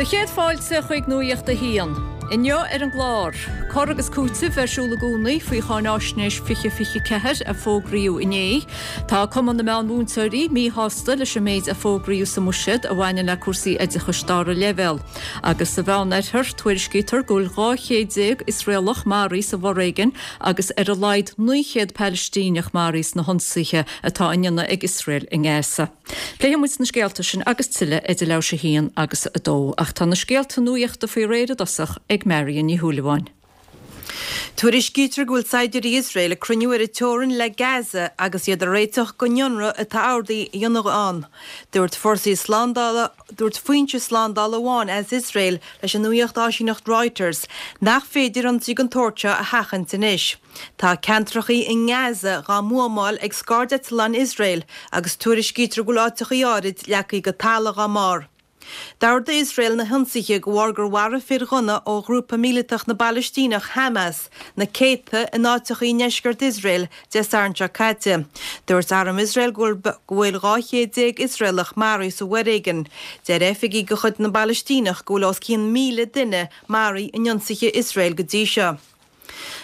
Do chéad fáilte chuig Nuacht a hAon. Inniu ar an gclár, cur agus cúiteamh ar siúl i gcónaí faoi Cháináisnéis 2024 a fógraíodh inné. Tá Cumann na Meánmhúinteoirí míshásta leis an méid a fógraíodh sa mbuiséad a bhaineann le cúrsaí oideachais dara leibhéal. Agus sa Mheánoirthear, tuairiscítear go bhfuil 12 chéad Iosraelach maraithe sa bhforéigean agus ar a laghad 900 Palaistíneach maraithe sna hionsaithe atá á ndéanamh ag Iosrael i nGaza. Pléifidh muid na scéalta sin agus tuilleadh idir leathuair tar éis a haon agus a dó. Ach tá na scéalta nuachta faoi réir i dtosach ag Marion Ní Shúilleabháin. Tuairiscítear go bhfuil saighdiúirí Iosrael ag cruinniú ar an teorainn le Gaza agus iad ag réiteach don ionradh atá ordaithe a dhéanamh ann. Dúirt forsaí slándála Dúirt foinse slándála amháin as Iosrael leis an nuacht-áisíneacht Reuters nach féidir ionsaí den tsórt seo a sheachaint anois. Tá ceantrachaí i nGaza dhá mbuamáil ag scairdeitleáin Iosrael agus tuairiscítear go bhfuil áiteachaí áirid leagtha go talamh dhá mbarr. D'ordaigh Iosrael na hionsaithe de bharr gur mharaigh fir ghunna ó ghrúpa míleatach na bPalaistíneach Hamas na céadta in áiteachaí i ndeisceart Iosrael Dé Sathairn seo caite. Dúirt arm Iosrael go bhfuil 12 chéad Iosraelach maraithe sa bhforéigean. Deir oifigigh de chuid na bPalaistíneach go bhfuil os cionn 1,000 duine maraithe in ionsaithe Iosrael go dtí seo.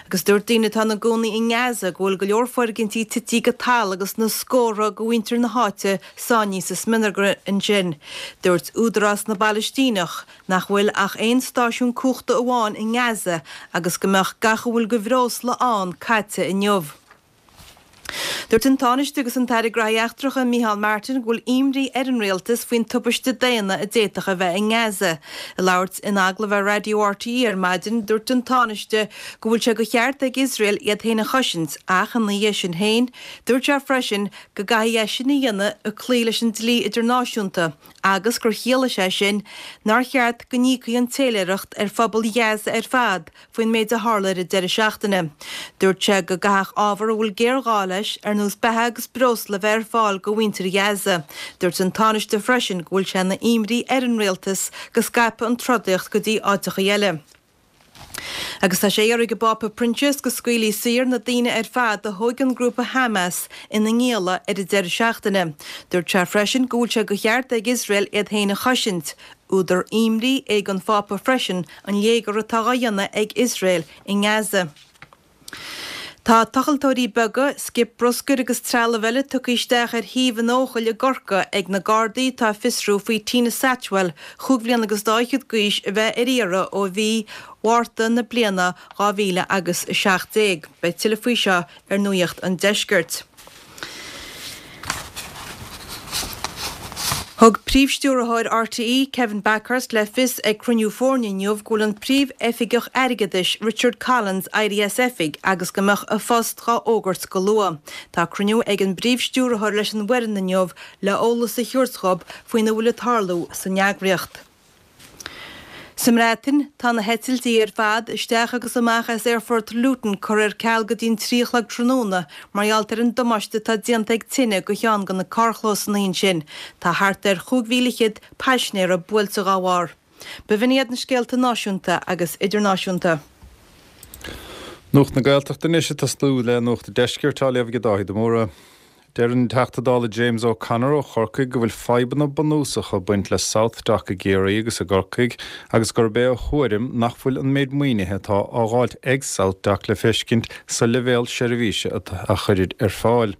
Agus dúirt daoine atá ina gcónaí i nGaza go bhfuil go leor foirgintí tití go talamh agus na scórtha de mhuintir na háite sáinnithe sa smionagar ansin. Dúirt Údarás na bPalaistíneach nach bhfuil ach aon stáisiún cumhachta amháin i nGaza agus go mbeadh gach a bhfuil de bhreosla ann caite inniu. Dúirt an Tánaiste agus an tAire Graithí Eachtracha Micheál Martin go bhfuil imní ar an Rialtas faoin tubaiste daonna a d'fhéadfadh a bheith i nGaza. Ag labhairt in agallamh ar Raidió RTÉ ar maidin, dúirt an Tánaiste go bhfuil sé de cheart ag Iosrael iad féin a chosaint ach ina dhiaidh sin féin, dúirt sé freisin go gcaithfidh é sin a dhéanamh ag cloí leis an dlí idirnáisiúnta agus gur chiallaigh sé sin nár cheart go n-íocfaí an téiléireacht ar phobal Ghaza ar fad faoin méid a tharla ar an deireadh seachtaine. Dúirt sé go gcaithfeadh ábhar a bhfuil géarghá leis, ar nós beatha agus breosla, a bheith ar fáil do mhuintir Ghaza. Dúirt an Tánaiste freisin go bhfuil sé ina imní ar an rialtas go scaipfeadh an trodaíocht go dtí áiteachaí eile. Agus tá sé á iarraidh ag an bPápa Proinsias go scaoilfí saor na daoine ar fad a thóig an grúpa Hamas ina ngialla ar an deireadh seachtaine. Dúirt sé freisin go bhfuil sé de cheart ag Iosrael iad féin a chosaint. Údar imní é don Phápa freisin an léigear atá á dhéanamh ag Iosrael i nGaza. Tá tochaltóirí beaga, scip bruscair agus trealamh eile tugtha isteach ar shuíomh in Eochaill i gCorcaigh ag na Gardaí atá ag fiosrú faoi Tina Satchwell, chúig bhliana agus dá fhichead d'aois, a bheith ar iarraidh ó mhí Mhárta na bliana 2000 agus 17. Beidh tuilleadh faoi seo ar Nuacht an Deiscirt. Thug Príomh-Stiúrthóir RTÉ, Kevin Bakhurst, le fios ag cruinniú foirne inniu go bhfuil an Príomh-Oifigeach Airgeadais, Richard Collins, éirithe as oifig agus go mbeadh a phost dhá fhógairt go luath. Tá cruinniú ag an bPríomh-Stiúrthóir leis an bhfoireann inniu le eolas a thabhairt dhób faoina bhfuil ag tarlú san eagraíocht. Sa mBreatain, tá na heitiltí ar fad isteach agus amach as aerfort Luton curtha ar ceal go dtí'n 3 a chlog tráthnóna mar gheall ar an damáiste atá déanta ag tine do cheann de na carrchlósanna ansin. Tá thart ar 25,000 paisinéara buailte dhá bharr. B'in iad na scéalta náisiúnta agus idirnáisiúnta. Nuacht na Gaeltachta anois ag tosnú le Nuacht an Deiscirt á léamh ag Dáithí de Mórdha. Deir an Teachta Dála James O'Connor ó Chorcaigh go bhfuil fadhbanna bunúsacha ag baint le SouthDoc i gCiarraí agus i gCorcaigh agus gurb é a thuairim nach bhfuil an méid maoinithe atá á dháilt ag SouthDoc le feiscint sa leibhéal seirbhíse a chuirid ar fáil.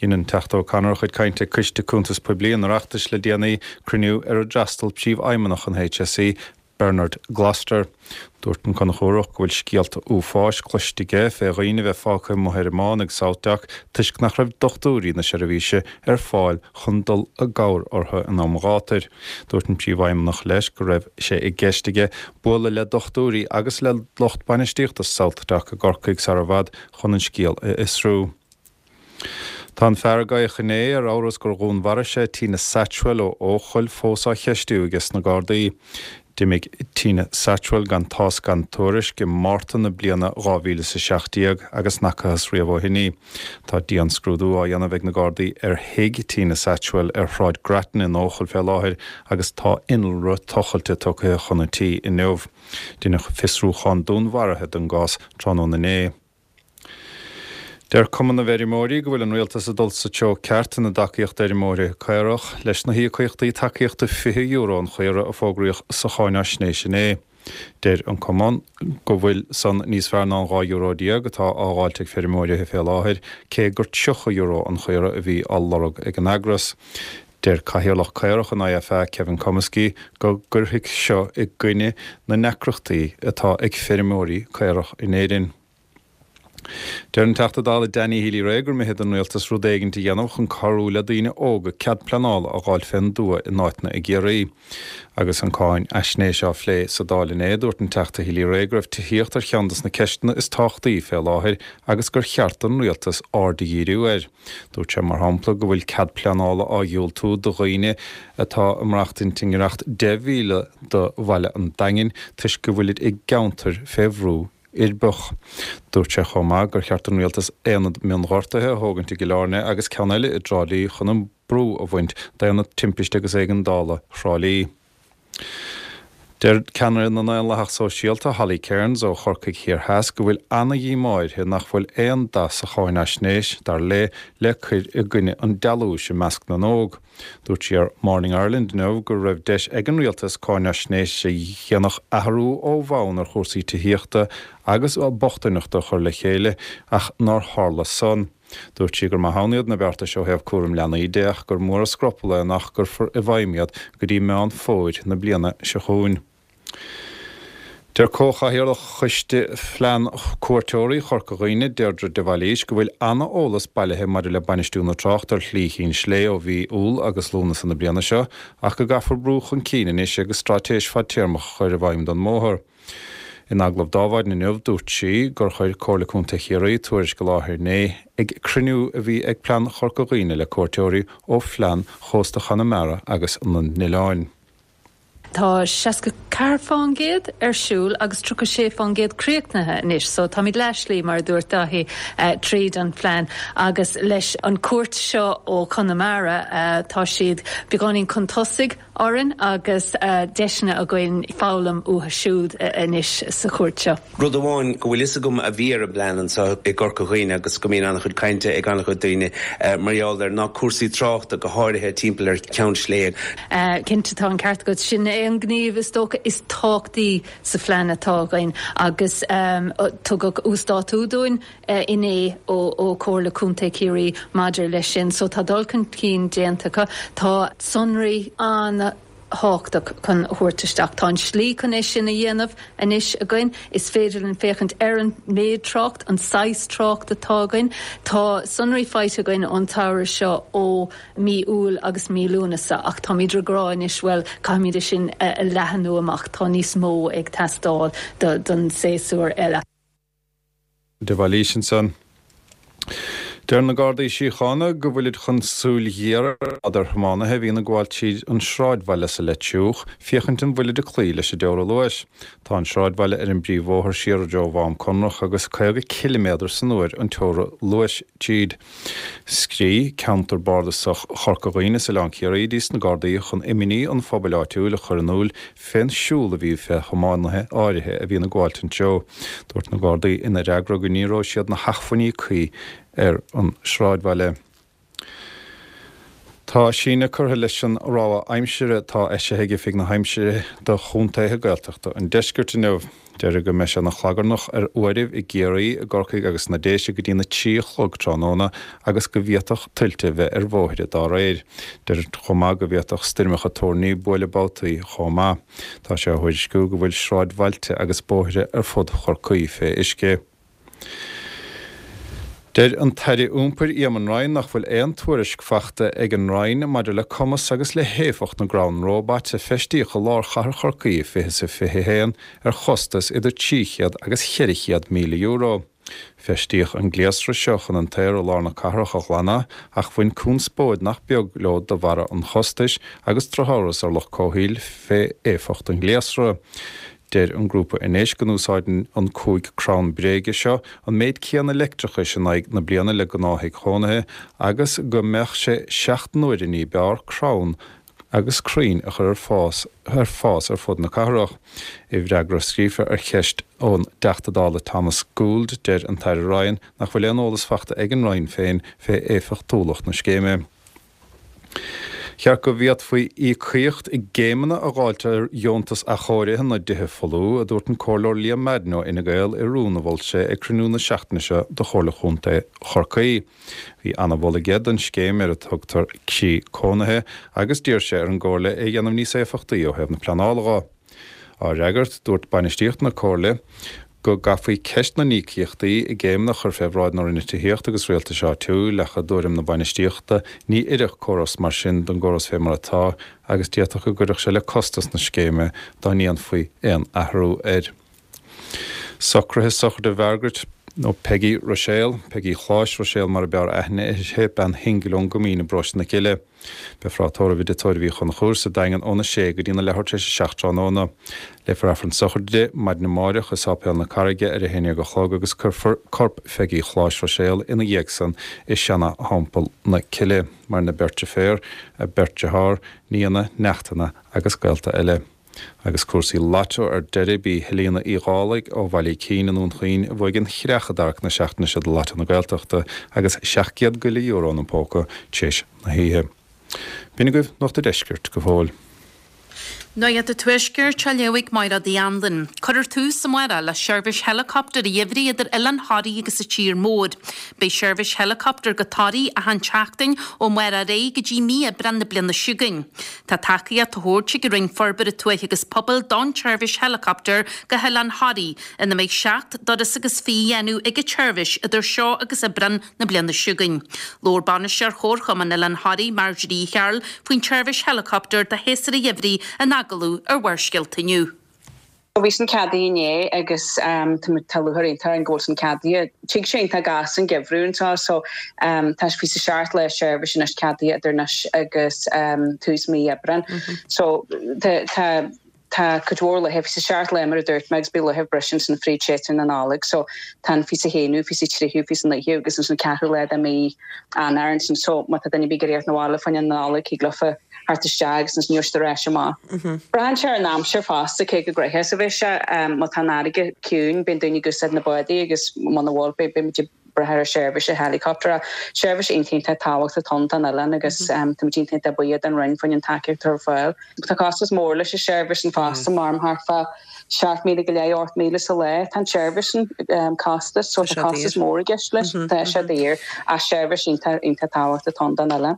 Dhein an Teachta O'Connor a chuid cainte ag Coiste Cuntas Poiblí an Oireachtais le déanaí, cruinniú ar ar d'fhreastail Príomhfheidhmeannach an HSE, Bernard Gloster. Dúirt an Conchúrach go bhfuil scéalta uafáis cloiste aige fé dhaoine a bheith fágtha amuigh ar an mbán ag SouthDoc toisc nach raibh dochtúirí na seirbhíse ar fáil chun dul i gcabhair orthu in am ghátair. Dúirt an Príomhfheidhmeannach leis go raibh sé i gceist aige bualadh le dochtúirí agus le lucht bainistíochta SouthDoc i gCorcaigh sar i bhfad chun an scéal a fhiosrú. Tá an fear a gabhadh inné ar amhras gur dhúnmharaigh sé Tina Satchwell ó Eochaill fós á cheistiú aige sna Gardaí. D'imigh Tina Satchwell gan tásc gan tuairisc i Márta na bliana 2017 agus n'fhacathas riamh ó shin í. Tá dianscrúdú á dhéanamh ag na Gardaí ar thigh Tina Satchwell ar Shráid Grattan in Eochaill fé láthair agus tá innealra tochailte tugtha chun an tí inniu. Deineadh fiosrúchán dúnmharaithe den gcás tráthnóna inné. Deir Cumann na bhFeirmeoirí go bhfuil an Rialtas ag dul sa treo ceart ina dtacaíocht d'fheirmeoirí caorach leis na híocaíochtaí tacaíochta €20 an chaora a fógraíodh sa cháináisnéis inné. Deir an Cumann go bhfuil san níos fearr ná an €12 atá á dh'fháilt ag feirmeoirí fé láthair, cé gur €30 an chaora a bhí á lorg ag an eagras. Deir Cathaoirleach Caorach an IFA, Kevin Comiskey, go gcuirfidh seo i gcoinne na ndeacrachtaí atá ag feirmeoirí caorach in Éirinn. Deir an Teachta Dála Danny Healy-Rae gur mithid don Rialtas rud éigint a dhéanamh chun cabhrú le daoine óga cead pleanála a dh'fháilt fén dtuath in áiteanna i gCiarraí. Agus an cáin fhaisnéis á phlé sa Dáil inné, dúirt an Teachta Healy-Rae go raibh tithíocht ar cheann des na ceisteanna is tábhachtaí fé láthair agus gur cheart don Rialtas aird a dhíriú air. Dúirt sé, mar shampla, go bhfuil cead pleanála á dhiúltú do dhaoine atá ag maireachtaint i ngiorracht 10 mhíle do bhaile an Daingin toisc go bhfuilid i gceantair fé bhrú uirbeach. Dúirt sé chomh maith gur cheart don Rialtas aonad mionghortaithe a thógaint i gCill Airne agus ceann eile i dTrá Lí chun an brú a bhaint d'Aonad Timpiste agus Éigeandála Thrá Lí. Deir ceannaire na nDaonlathach Sóisialta, Holly Cairns ó Chorcaigh Thiar Theas go bhfuil ana-dhíomá uirthi nach bhfuil aon dath sa cháinfhaisnéis, dar léi, le cur i gcoinne an dealúis i measc na n-óg. Dúirt sí ar Morning Ireland inniu go raibh deis ag an rialtas cáinfhaisnéis a dhéanfadh athrú ó bhonn ar chúrsaí tithíochta agus bochtaineachta a chur le chéile ach nár tharla san. Dúirt sí gur maith ann iad na beartais ó thaobh cúram leanaí de ach gur mór an scrupall é nach gcuirfear i bhfeidhm iad go dtí Meán Fómhair na bliana seo chugainn. Deir Comhchathaoirleach Choiste Phlean Cuairteoirí Chorca Dhuibhne, Deirdre de Bhailís, go bhfuil ana-eolas bailithe maidir le bainistiú na tráchta ar Shlí Chinn Slé ó mhí Iúil agus Lúnasa na bliana seo ach go gcaithfear brú chun cinn anois agus straitéis fadtéarmach a chur i bhfeidhm don mbóthar. In agallamh d'Adhmhaidin inniu dúirt sí gur chuir Comhairle Contae Chiarraí tuairisc i láthair inné ag cruinniú a bhí ag Plean Chorca Dhuibhne le cuairteoirí ó Phlean Chósta Chonamara agus na nOileáin. Tá 64% ar siúl agus 36% críochnaithe anois so táimid leath-slí, mar a dúirt Dáithí, tríd an phlean agus leis an cuairt seo ó Chonamara tá siad beagáinín chun tosaigh orainn agus deiseanna againn foghlaim uathu siúd anois sa chuairt seo. Rud amháin go bhfuil fhios agam a bhí ar an bplean anseo i gCorca Dhuibhne agus go mbíonn an-chuid cainte ag an-chuid daoine mar gheall air ná cúrsaí tráchta, go háirithe timpeall ar Cheann Sléibhe. Cinnte, tá an ceart agat. Sin é an gníomh is dócha is tábhachtaí sa phlean atá againn agus tugadh uasdátú dúinn inné ó Chomhairle Contae Chiarraí maidir leis sin. So tá dul chun cinn déanta acu. Tá sonraí an. thábhachtach chun a thabhairt isteach. Tá an slí chun é sin a dhéanamh anois againn. Is féidir linn féachaint ar an méid trácht, an saghas trácht atá againn. Tá sonraí faighte againn ón tsamhradh seo ó mí Iúil agus mí Lúnasa ach táimid ag rá anois, bhuel, caithfimid é sin a leathanú amach, tá níos mó ag teastáil don séasúr eile. De Bhailís ansan. Deir na Gardaí Síochána go bhfuilid chun súil ghéar a choimeád ar thiománaithe a bhíonn ag gabháil tríd an sráidbhaile sa Leitriúch, féachaint an bhfuilid ag cloí leis an dteora luais. Tá an sráidbhaile ar an bpríomhbhóthar siar i dtreo Mhám Conrach agus 50 ciliméadar san uair an teora luais tríd. Scrígh Ceantar Bardasach Chorca Dhuibhne is Oileán Ciarraí dtís na Gardaí chun imní an phobail áitiúil a chur in iúl fén siúl a bhí fé thiománaithe áirithe a bhíonn ag gabháilt an treo. Dúirt na Gardaí ina fhreagra go ní raibh siad na hachmhainní cuí ar an sráidbhaile. Tá síneadh curtha leis an rabhadh aimsire atá eisithe ag Oifig na hAimsire do chontaetha Gaeltachta an deiscirt inniu. Deirtear go mbeidh sé ina chlagarnach ar uairibh i gCiarraí, i gCorcaigh agus sna Déise go dtína 3 a chlog tráthnóna agus go bhféadfadh tuilte bheith ar bhóithre dá réir. Deirtear chomh maith go bhféadfadh stoirmeacha toirní buaileadh babhtaí chomh maith. Tá sé á thuairisciú go bhfuil sráidbhailte agus bóithre ar fud Chorcaí fé uisce. Deir an tAire Iompair Eamon Ryan nach bhfuil aon tuairisc fachta ag an Roinn maidir le cumas agus le héifeacht na gcrann róbait a feistíodh i lár chathair Chorcaí i 2021 ar chostas idir 300 agus 400 míle euro. Feistíodh an gléasra seo chun an t-aer i lár na cathrach a ghlanadh ach bhain conspóid nach beag leo de bharra an chostais agus drochamhras ar lucht comhshaoil fé éifeacht an ghléasra. Deir an grúpa anois go n-úsáideann an 5 crann bréige seo an méid céanna leictreachais in aghaidh na bliana le gnáth-thigh chónaithe agus go mbeadh sé seacht n-uaire ní b'fhearr crann. agus crainn a chur ar fás ar fás ar fud na cathrach. I bhfreagra scríofa ar cheist ón dTeachta Dála Thomas Gould, deir an tAire Ryan nach bhfuil aon eolas fachta ag an Roinn féin fé éifeachtúlacht na scéime. Cheart go bhféadfaí íocaíocht i gcéimeanna a dháilt ar dheontas athchóirithe na dtithe folmha, a dúirt an Comhairleoir Liam Madden ó Fhine Gael i rún a mhol sé ag cruinniú na seachtaine seo de Chomhairle Chontae Chorcaí. Bhí ana-mholadh aige don scéim ar a tugtar Croí Cónaithe agus d'iarr sé ar an gComhairle é a dhéanamh níos éifeachtaí ó thaobh na pleanála dho. Á fhreagairt, dúirt bainistíocht na Comhairle go gcaithfí ceist na n-íocaíochtaí i gcéimeanna a chur fé bhráid na Roinne Tithíochta agus Rialtais Áitiúil ach i dtuairim na bainistíochta ní oirfeadh córas mar sin don gcóras fé mar atá agus d'fhéadfadh go gcuirfeadh sé le costas na scéime dá ndéanfaí aon athrú air. Socruithe sochraide Mhargaret nó Peigí Ruiséal, Peigí Chláis Ruiséal mar a b'fhearr aithne uirthi, bean shingil ón gCoimín i bparóiste na Cille. Beifear á tórramh i dTigh Tórraimh Uí Chonchúir sa Daingean óna sé go dtína leathuair tar éis a 7 tráthnóna. Léifear Aifreann sochraide di maidin amáireach i Sáipéal na Carraige ar a 11 a chlog agus cuirfear corp Pheigí Chláis Ruiséal ina dhiaidh san i Seana-Theampall na Cille. Maireann a beirt deirféar, a beirt dearthár, nianna, neachtanna agus gaolta eile. Agus cúrsaí Lotto ar deireadh, b'í Helena Uí Dhálaigh ó Bhaile Icín i nDún Chaoin a bhuaigh an chreach i dtarrac na seachtaine seo do Lotto na Gaeltachta agus €700 ina póca tar éis na hoíche. B'in agaibh Nuacht a' Deiscirt go fóill. Nuacht an Tuaiscirt á léamh ag Máire Uí Anluain. Cuirfear tús amárach le seirbhís heileacoptair a gheimhridh idir Oileán Thoraí agus an tír mór. Beidh seirbhís heileacoptair go Toraigh achan tseachtain ó amárach ar aghaidh go dtí mí Aibreán na bliana seo chugainn. Tá tacaíocht á thabhairt ag an Roinn Forbartha Tuaithe agus Pobail don tseirbhís heileacoptair go hOileán Thoraí, ina mbeidh seacht dturas agus fiche á dhéanamh ag an tseirbhís idir seo agus Aibreán na bliana seo chugainn. Labhair Bainisteoir Chomharchumann Oileán Thoraí, Marjorie Uí Chearúil, faoin tseirbhís heileacoptair do shéasúr an gheimhridh in agallamh ar Bharrscéalta inniu. Bhí san ceadaithe inné agus tá lúcháir iontach orainn go bhfuil san ceadaithe. Tig sé iontach gasta an geimhreadh anseo so tá fiche 7 lá seirbhís anois ceadaithe idir anois agus tús mí Aibreán. So tá tá tá cuid mhór laetha, 27 lá mar a dúirt mé agus beidh laetha breise ansin fríd séasúr na Nollag so tá an 21ú, 23ú, 29ú agus ansin an ceathrú lá de mí Eanáir ansin so má tá duine ar bith ag iarraidh theacht 'na bhaile fá choinne na Nollag thig leofa theacht isteach agus ansin gheobhaidh siad ar ais amach. Braitheann sé ar an aimsir fosta cé go gnoitheach is a bheidh sé. Má tá an fharraige ciúin bíonn daoine ag úsáid na bádaí agus muna bhfuil beidh muid ag brath ar seirbhís an helicopter. Seirbhís iontach iontach tábhachtach atá ann don oileán agus táimid iontach iontach buíoch don Roinn faoin an tacaíocht atá ar fáil. Tá costas mór leis an seirbhís sin fosta, mar thart fá 7,000 go leith, 8,000 sa lá tá an tseirbhís sin costas so tá costas mór i gceist leis. Tá sé daor ach seirbhís iontach iontach tábhachtach atá ann don oileán.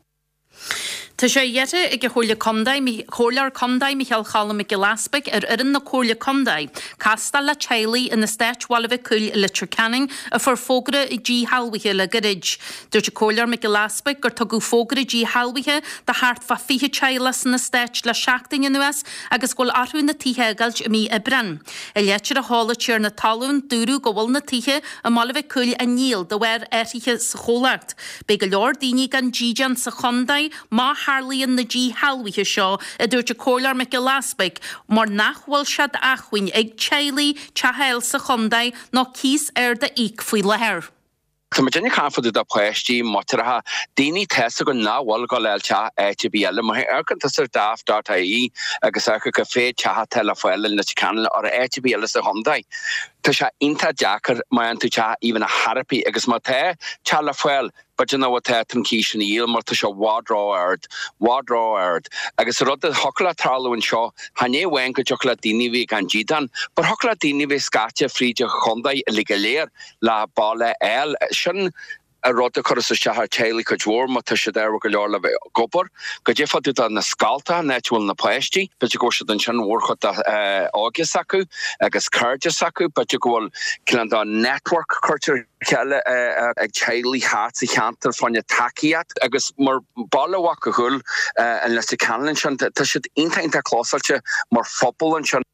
Tá sé iarrtha ag an Chomhairle Contae, Comhairleoir Contae Micheál Cholm Mac Giolla Easpaig ar fhoireann na Comhairle Contae castáil le teaghlaigh in eastát Bhaile Mhic Cumhaill i Leitir Ceanainn a fuair fógra díshealbhaithe le gairid. Dúirt an Comhairleoir Mac Giolla Easpaig gur tugadh fógra díshealbhaithe do thart fá 20 teaghlach san eastát le seachtain anuas agus go bhfuil orthu na tithe a fhágáilt i mí Aibreán. I leitir a sheol an tiarna talún, dúradh go bhfuil na tithe i mBaile Mhic Cumhaill á ndíol de bharr athruithe sa chomhlacht. Beidh go leor daoine gan dídean sa chontae má tharlaíonn na díshealbhuithe seo, a dúirt an Comhairleoir Mac Giolla Easpaig, mar nach bhfuil sé d'acmhainn ag teaghlaigh teach a fháil sa chontae nó cíos ard a íoc faoi láthair. Tá muid ag caint fá dtaobh de páistí, muinteartha, daoine tá 'fhios acu nach bhfuil ag dul a fháil teach áit ar bith eile. Má amharcann tusa ar daft dot ie agus amharc cá mhéad teach atá le fáil i Leitir Ceanainn or áit ar bith eile sa chontae. Tá sé iontach deacair má fhaigheann tú teach even ar chor ar bith agus má tá teach le fáil, b'fhéidir nach bhfuil tá an cíos sin a dhíol mar tá sé i bhfad ró-ard, bhfad ró-ard. Agus an rud a thiocfadh le tarlú anseo, chan é amháin go dtiocfadh le daoine a bheith gan dídean, but thiocfadh le daoine a bheith scaite fríd an chontae uilig go léir le baile a fháil. Sin an rud a chuireas isteach ar teaghlaigh cuid mhór má tá siad ádhúil go leor le bheith ag obair. Goidé fá dtaobh de na scoltacha, an áit a bhfuil na páistí, b'fhéidir go bhfuil siad ansin mhórchuid de óige s'acu agus cairde s'acu, b'fhéidir go bhfuil cineál de network curtha ar chéile ag teaghlaigh thart sa cheantar fá choinne tacaíocht agus mar baile Mhac a' Ghoill in Leitir Ceanainn ansin, tá siad iontach iontach clósáilte mar phobal ansin.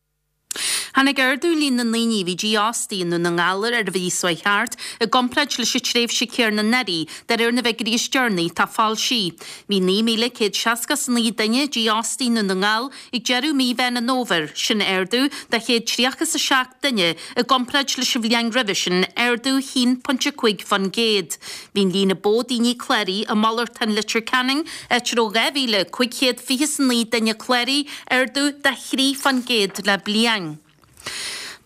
Tháinig ardú líon na ndaoine a bhí dífhostaithe i nDún na nGall ar an mhí seo chuaigh thart i gcomparáid leis an tréimhse chéanna anuraidh, de réir na bhfigiúirí is deireanaí atá foilsithe. Bhí 9,169 duine dífhostaithe i nDún na nGall ag deireadh mí Mheán an Fhómhair, sin ardú de 137 duine i gcomparáid leis an bhliain roimhe sin, ardú 1.5%. Bhí an líon a ba mhó daoine cláraithe i Malartán Leitir Ceanainn, áit a raibh 2,529 duine cláraithe, ardú de 3% le bliain.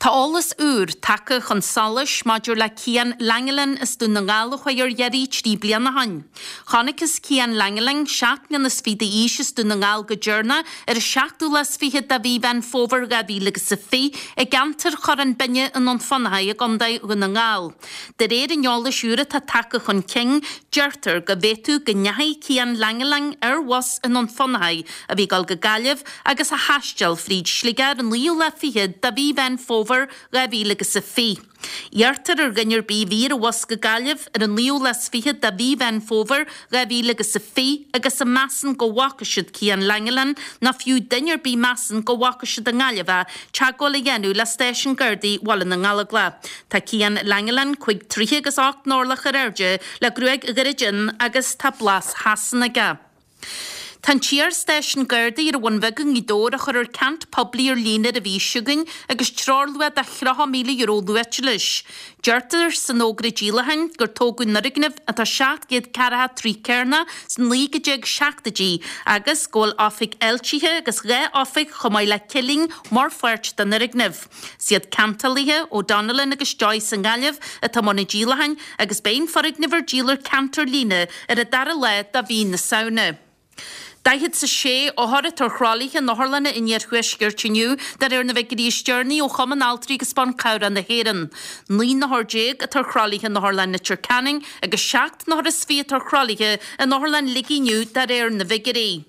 Tá eolas úr tagtha chun solais maidir le Cian Langelan as Dún na nGall a chuaigh ar iarraidh 3 bliana ó shin. Chonacthas Cian Langelan, 7 mbliana is fiche d'aois as Dún na nGall go deireanach ar an seachtú lá is fichead de mhí Mheán Fómhair 2020 i gceantar Chorrán Binne i nDún Fionnachaidh i gContae Dhún na nGall. De réir an eolais úir atá tagtha chun cinn, deirtear go bhféadfadh go ndeachaigh Cian Langelan ar bhus i nDún Fionnachaidh a bhí ag dul go Gaillimh agus a thaisteal fríd Sligeach ar an naoú lá fichead de mhí Mheán Fómhair 2020. Iarrtar ar dhuine ar bith a bhí ar an bhus go Gaillimh ar an naoú lá is fichead de mhí Mheán Fómhair 2020 agus a measann go bhfaca siad Cian Langelan nó fiú duine ar bith measann go bhfaca siad i nGaillimh é, teagmháil a dhéanamh le Stáisiún Gardaí Bhaile na nGallóglach. Tá Cian Langelan 5 troithe agus 8 n-orlach ar airde le gruaig ghairid fhionn agus tá blas Shasana aige. Tá an t-iar-stáisiún Gardaí ar an Bhun Bheag i nGaoth Dobhair á chur ar ceant poiblí ar líne ar an mhí seo chugainn agus treoirluach de €30,000 luaite leis. Deirtear san fhógra díolacháin gur tógadh an fhoirgneamh, atá 700 ceathracha troigh cearnach, sna 1970idí agus go bhfuil oifig fháiltithe agus 2 oifig chomh maith le cillín mar pháirt den fhoirgneamh. Is iad ceantálaithe O'Donnellan agus Joyce i nGaillimh atá i mbun an díolacháin agus beidh an foirgneamh ar díol ar ceant ar líne ar an dara lá de mhí na Samhna. 46 othar atá ar thralaithe in otharlanna an iarthuaiscirt inniu, de réir na bhfigiúirí is deireanaí ó Chumann Altraí agus Ban Cabhrach na hÉireann. 19 n-othar atá ar thralaithe in Otharlann Leitir Ceanainn agus 7 n-othar is fiche atá ar thralaithe in Otharlann Shligigh inniu, de réir na bhfigiúirí.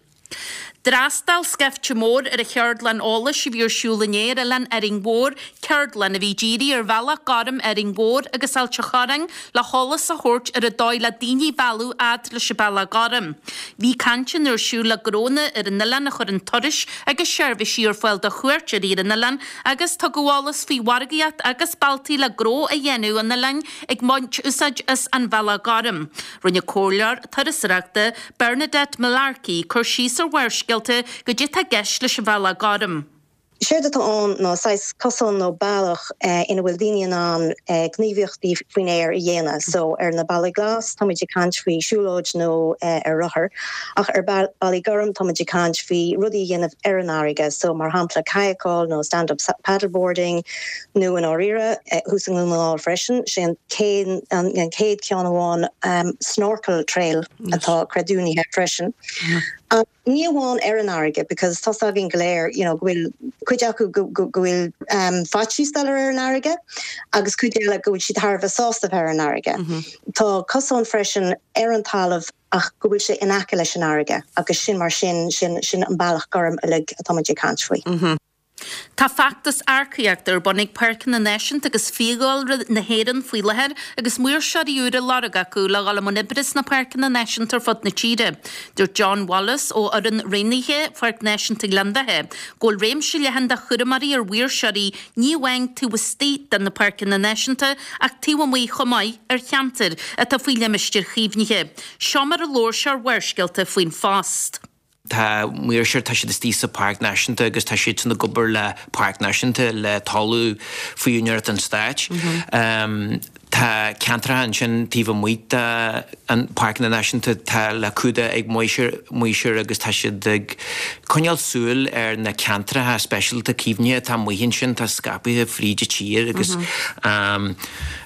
D'fhreastail scaifte mór ar an cheardlann eolais a bhí ar siúl inné ar oileán Árainn Mhór, ceardlann a bhí dírithe ar Bhealach Gorm Árainn Mhór agus Ailt an Chorráin le heolas a thabhairt ar an dóigh le daoine a mhealladh fhad leis an Bealach Gorm. Bhí cainteanna ar siúl le gnónna ar an oileán a chuireann turais agus seirbhísí ar fáil do chuairteoirí ar an oileán agus tugadh eolas faoi mhargaíocht agus bealtaí le gnó a dhéanamh an oileáin ag baint úsáid as an Bhealach Gorm. Rinne comhairleoir turasóireachta, Bernadette Mullarkey, cur síos ar Bharrscéalta goidé tá i gceist leis an Bhealach Gorm. Séard atá ann ná saghas cosán nó bealach ina bhfuil daoine in ann gníomhaíochtaí faoin aer a dhéanamh. So ar na bealaí glas táimid ag caint faoi siúlóid nó ar rothar ach ar bealaí gorm táimid ag caint faoi rudaí a dhéanamh ar an fharraige. So mar shampla cadhcáil nó stand up paddleboarding nó i ndáiríre thuas i nDún na nGall freisin, sé an chéad ceann amháin snorkel trail. atá creidiúnaithe freisin. Ach ní amháin ar an fharraige because tá's againn go léir you know go bhfuil cuid acu go go go bhfuil faitíos dul ar an fharraige agus cuid eile go bhfuil siad thar a bheith sásta bheith ar an fharraige. Tá cosán freisin ar an talamh ach go bhfuil sé in aice leis an fharraige agus sin mar sin sin sin an bealach gorm uilig atá muid ag caint faoi. Tá feachtas earcaíochta ar bun ag Páirceanna Náisiúnta agus Fiadhúlra na hÉireann faoi láthair agus maoirseoirí úra á lorg acu le dhul i mbun oibre sna páirceanna náisiúnta ar fud na tíre. Dúirt John Wallace ó fhoireann roghnaithe Pháirc Náisiúnta Ghleann Bheatha go bhfuil réimse leathan de chúramóirí ar mhaoirseoirí ní amháin taobh istigh de na páirceanna náisiúnta ach taobh amuigh chomh maith ar cheantair atá faoi limistéir chaomhnaithe. Seo mar a labhair sé ar Bharrscéalta faoin phost. Tá maoirseoir, tá siad istigh sa Pháirc Náisiúnta agus tá siadsan ag obair le Páirc Náisiúnta, le talamh faoi úinéireacht an stáit. Tá ceantracha ansin taobh amuigh de an Páirceanna Náisiúnta atá le cumhdach ag maoirseoir agus tá siad ag coinneáil súil ar na ceantracha speisialta caomhnaithe atá amuigh ansin, atá scaipthe fríd an tír agus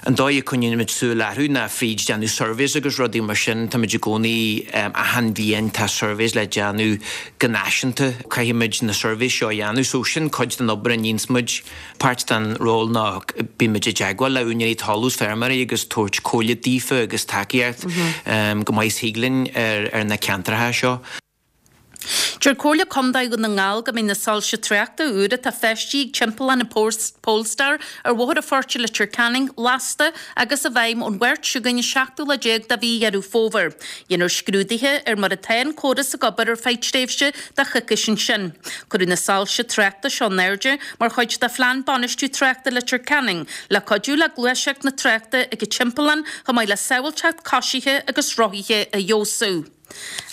An dóigh a coinnímid súil orthu ná fríd déanamh surveys agus rudaí mar sin. Táimid i gcónaí, achan bhliain tá surveys le déanamh go náisiúnta. Caithfimid na surveys seo a dhéanamh so sin cuid den obair a níonns muid. Páirt den ról ná bímid i dteagmháil le úinéirí talún is feirmeoirí agus tabhairt comhairle daofa agus tacaíocht go maith is thig linn ar na ceantracha seo. Deir Comhairle Contae Dhún na nGall go mbeidh na soilse tráchta úr atá feistithe ag timpeallán an Polestar ar Bhóthar an Phoirt i Leitir Ceanainn lasta agus i bhfeidhm ón Mháirt seo chugainn an seachtú lá déag de mhí Dheireadh Fómhair. Dhéanfar scrúduithe ar mar atá an córas ag obair ar feadh tréimhse de choicís ansin. Cuireadh na soilse tráchta seo in airde mar chuid de Phlean Bainistiú Tráchta Leitir Ceanainn le cuidiú le gluaiseacht na tráchta ag an timpeallán chomh maith le sábháilteacht coisithe agus rothaithe a fheabhsú.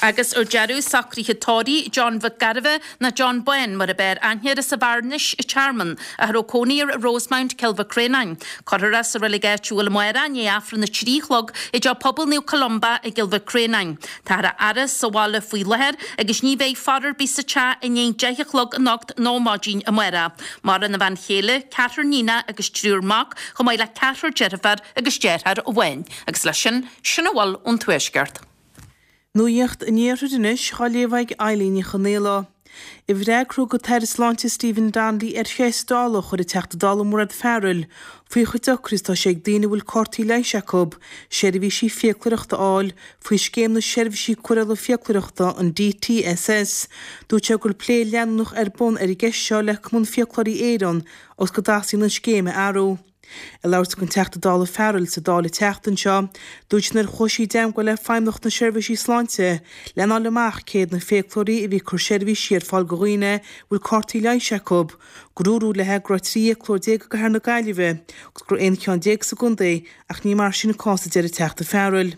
Agus ar deireadh, socruithe tórraimh John Mhic Gairbheith, nó John Bán mar ab fhearr aithne air as an Bhearnais, an Tearmann, a raibh cónaí air i Rosemount, Cill Mhic Réanáin. Cuirfear é sa reilig áitiúil amárach i ndiaidh Aifreann a 3 a chlog i dTeach Pobail Naomh Columba i gCill Mhic Réanáin. Táthar á fhaire sa bhaile faoi láthair agus ní bheidh fear ar bith sa teach i ndiaidh 10 a chlog anocht nó maidin amárach. Maireann a bhean chéile, ceathrar níonach agus triúr mac, chomh maith le ceathrar deirfiúr agus deartháir amháin. Agus leis sin, sin a bhfuil ón Tuaisceart. Nuacht an Iarthair anois á léamh ag Eilín Ní Chonaola. I bhfreagra don Aire Sláinte Stephen Donnelly ar cheist Dála a chuir an Teachta Dála Mairéad Farrell faoi chomh deacair is atá sé ag daoine a bhfuil cártaí leighis acu seirbhísí fiacloireachta a fháil faoi Scéim na Seirbhísí Cóireála Fiacloireachta, an DTSS, dúirt sé go bhfuil plé leanúnach ar bun ar an gceist seo le Cumann Fiaclóirí Éireann agus go dteastaíonn an scéim a athrú. Ag labhairt don Teachta Dála Farrell sa Dáil an tseachtain seo, dúirt sí nuair a chuaigh sí i dteangmháil le Feidhmeannacht na Seirbhísí Sláinte lena fháil amach céard na fiaclóirí a bhí ag cur seirbhísí ar fáil do dhaoine a bhfuil cártaí leighis acu, gur dúradh léi go raibh 13 fhiaclóir i gcathair na Gaillimhe agus go raibh 11 ceann sa gcontae ach ní mar sin an cás a deir an Teachta Farrell.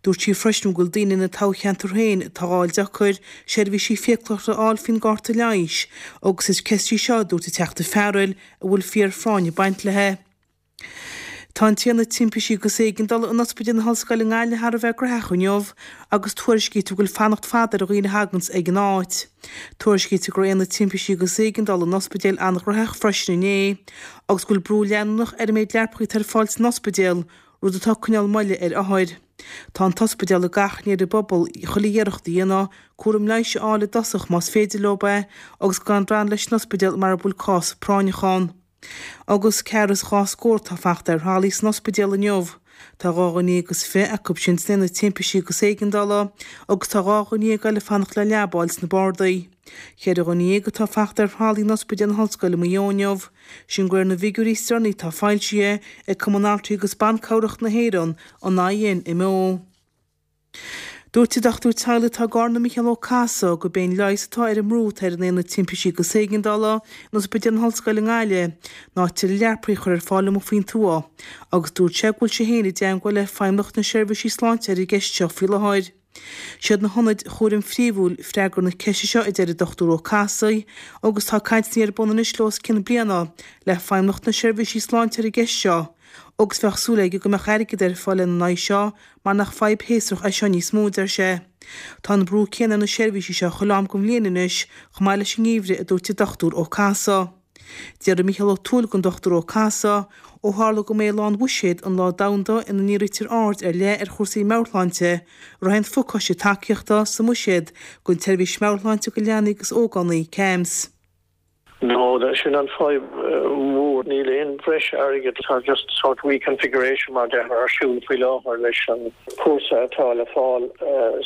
Dúirt sí freisin go bhfuil daoine ina toghcheantar féin atá á fháil deacair seirbhísí fiacloireachta a fháil faoin gcárta leighis agus is ceist í seo a dúirt an Teachta Farrell a bhfuil fíor-phráinn ag baint léi. Tá an tAonad Timpistí agus Éigeandála in Ospidéal na hOllscoile i nGaillimh thar a bheith graitheach inniu agus tuairiscítear go bhfuil fanacht fada ar dhaoine a thaganns ag an áit. Tuairiscítear go raibh Aonad Timpistí agus Éigeandála an ospidéil an-ghraitheach freisin inné agus go bhfuil brú leanúnach ar an méid leapacha atá ar fáil san ospidéal, rud atá ag coinneáil moille ar othair. Tá an t-ospidéal ag achainí ar an bpobal chuile iarracht a dhéanamh cúram leighis a fháil i dtosach más féidir leo é agus gan drannadh leis an ospidéal mara bhfuil cás práinneach ann. Agus ceathrar is dhá scór atá ag fanacht ar thralaí san ospidéal inniu. Tá 22 acu sin san aonad timpistí agus éigeandála agus tá 12 dhuine eile ag fanacht le leaba a fháil sna bardaí. 14 dhuine atá ag fanacht ar thralaí in Ospidéal na hOllscoile Maigh Eo inniu. Sin de réir na bhfigiúirí is deireanaí atá foilsithe ag Cumann Altraí agus Ban Cabhrach na hÉireann, an INMO. Dúirt an dochtúir teaghlaigh atá i gCarna Micheál Ó Cathasaigh gurb é an leigheas atá ar an mbrú atá ar an Aonad Timpistí agus Éigeandála in Ospidéal na hOllscoile i nGaillimh ná tuilleadh leapacha a chur ar fáil amuigh faoin tuath agus dúirt sé go bhfuil sé féin i dteangmháil le Feidhmeannacht na Seirbhísí Sláinte ar an gceist seo faoi láthair. Siad na hionaid chúraim phríomhúil freagra na ceiste seo, a deir an Dr Ó Cathasaigh, agus tá cainteanna ar bun anois le os cionn bliana le Feidhmeannacht na Seirbhísí Sláinte ar an gceist seo agus bheadh súil aige go mbeadh airgead ar fáil lena n-aghaidh seo mar nach fadhb shéasúrach é seo níos mó, a deir sé. Tá an brú céanna ar na seirbhísí seo chuile am den bhliain anois, chomh maith leis an ngeimhreadh, a dúirt an Dr Ó Cathasaigh. D'fhiafraigh Mícheál Ó Tuathail den Dr Ó Cathasaigh, ó tharla go mba é Lá an Bhuiséid an lá domhanda ina ndírítear aird ar leith ar chúrsaí meabhairshláinte, an raibh aon phacáiste tacaíochta sa mBuiséad don tseirbhís meabhairshláinte do leanaí agus ógánaigh, CAMHS. No, sin an fadhb mhór. Níl aon bhreis airgid. Tá just sort reconfiguration mar déarfá ar siúl faoi láthair leis an cúrsa atá le fáil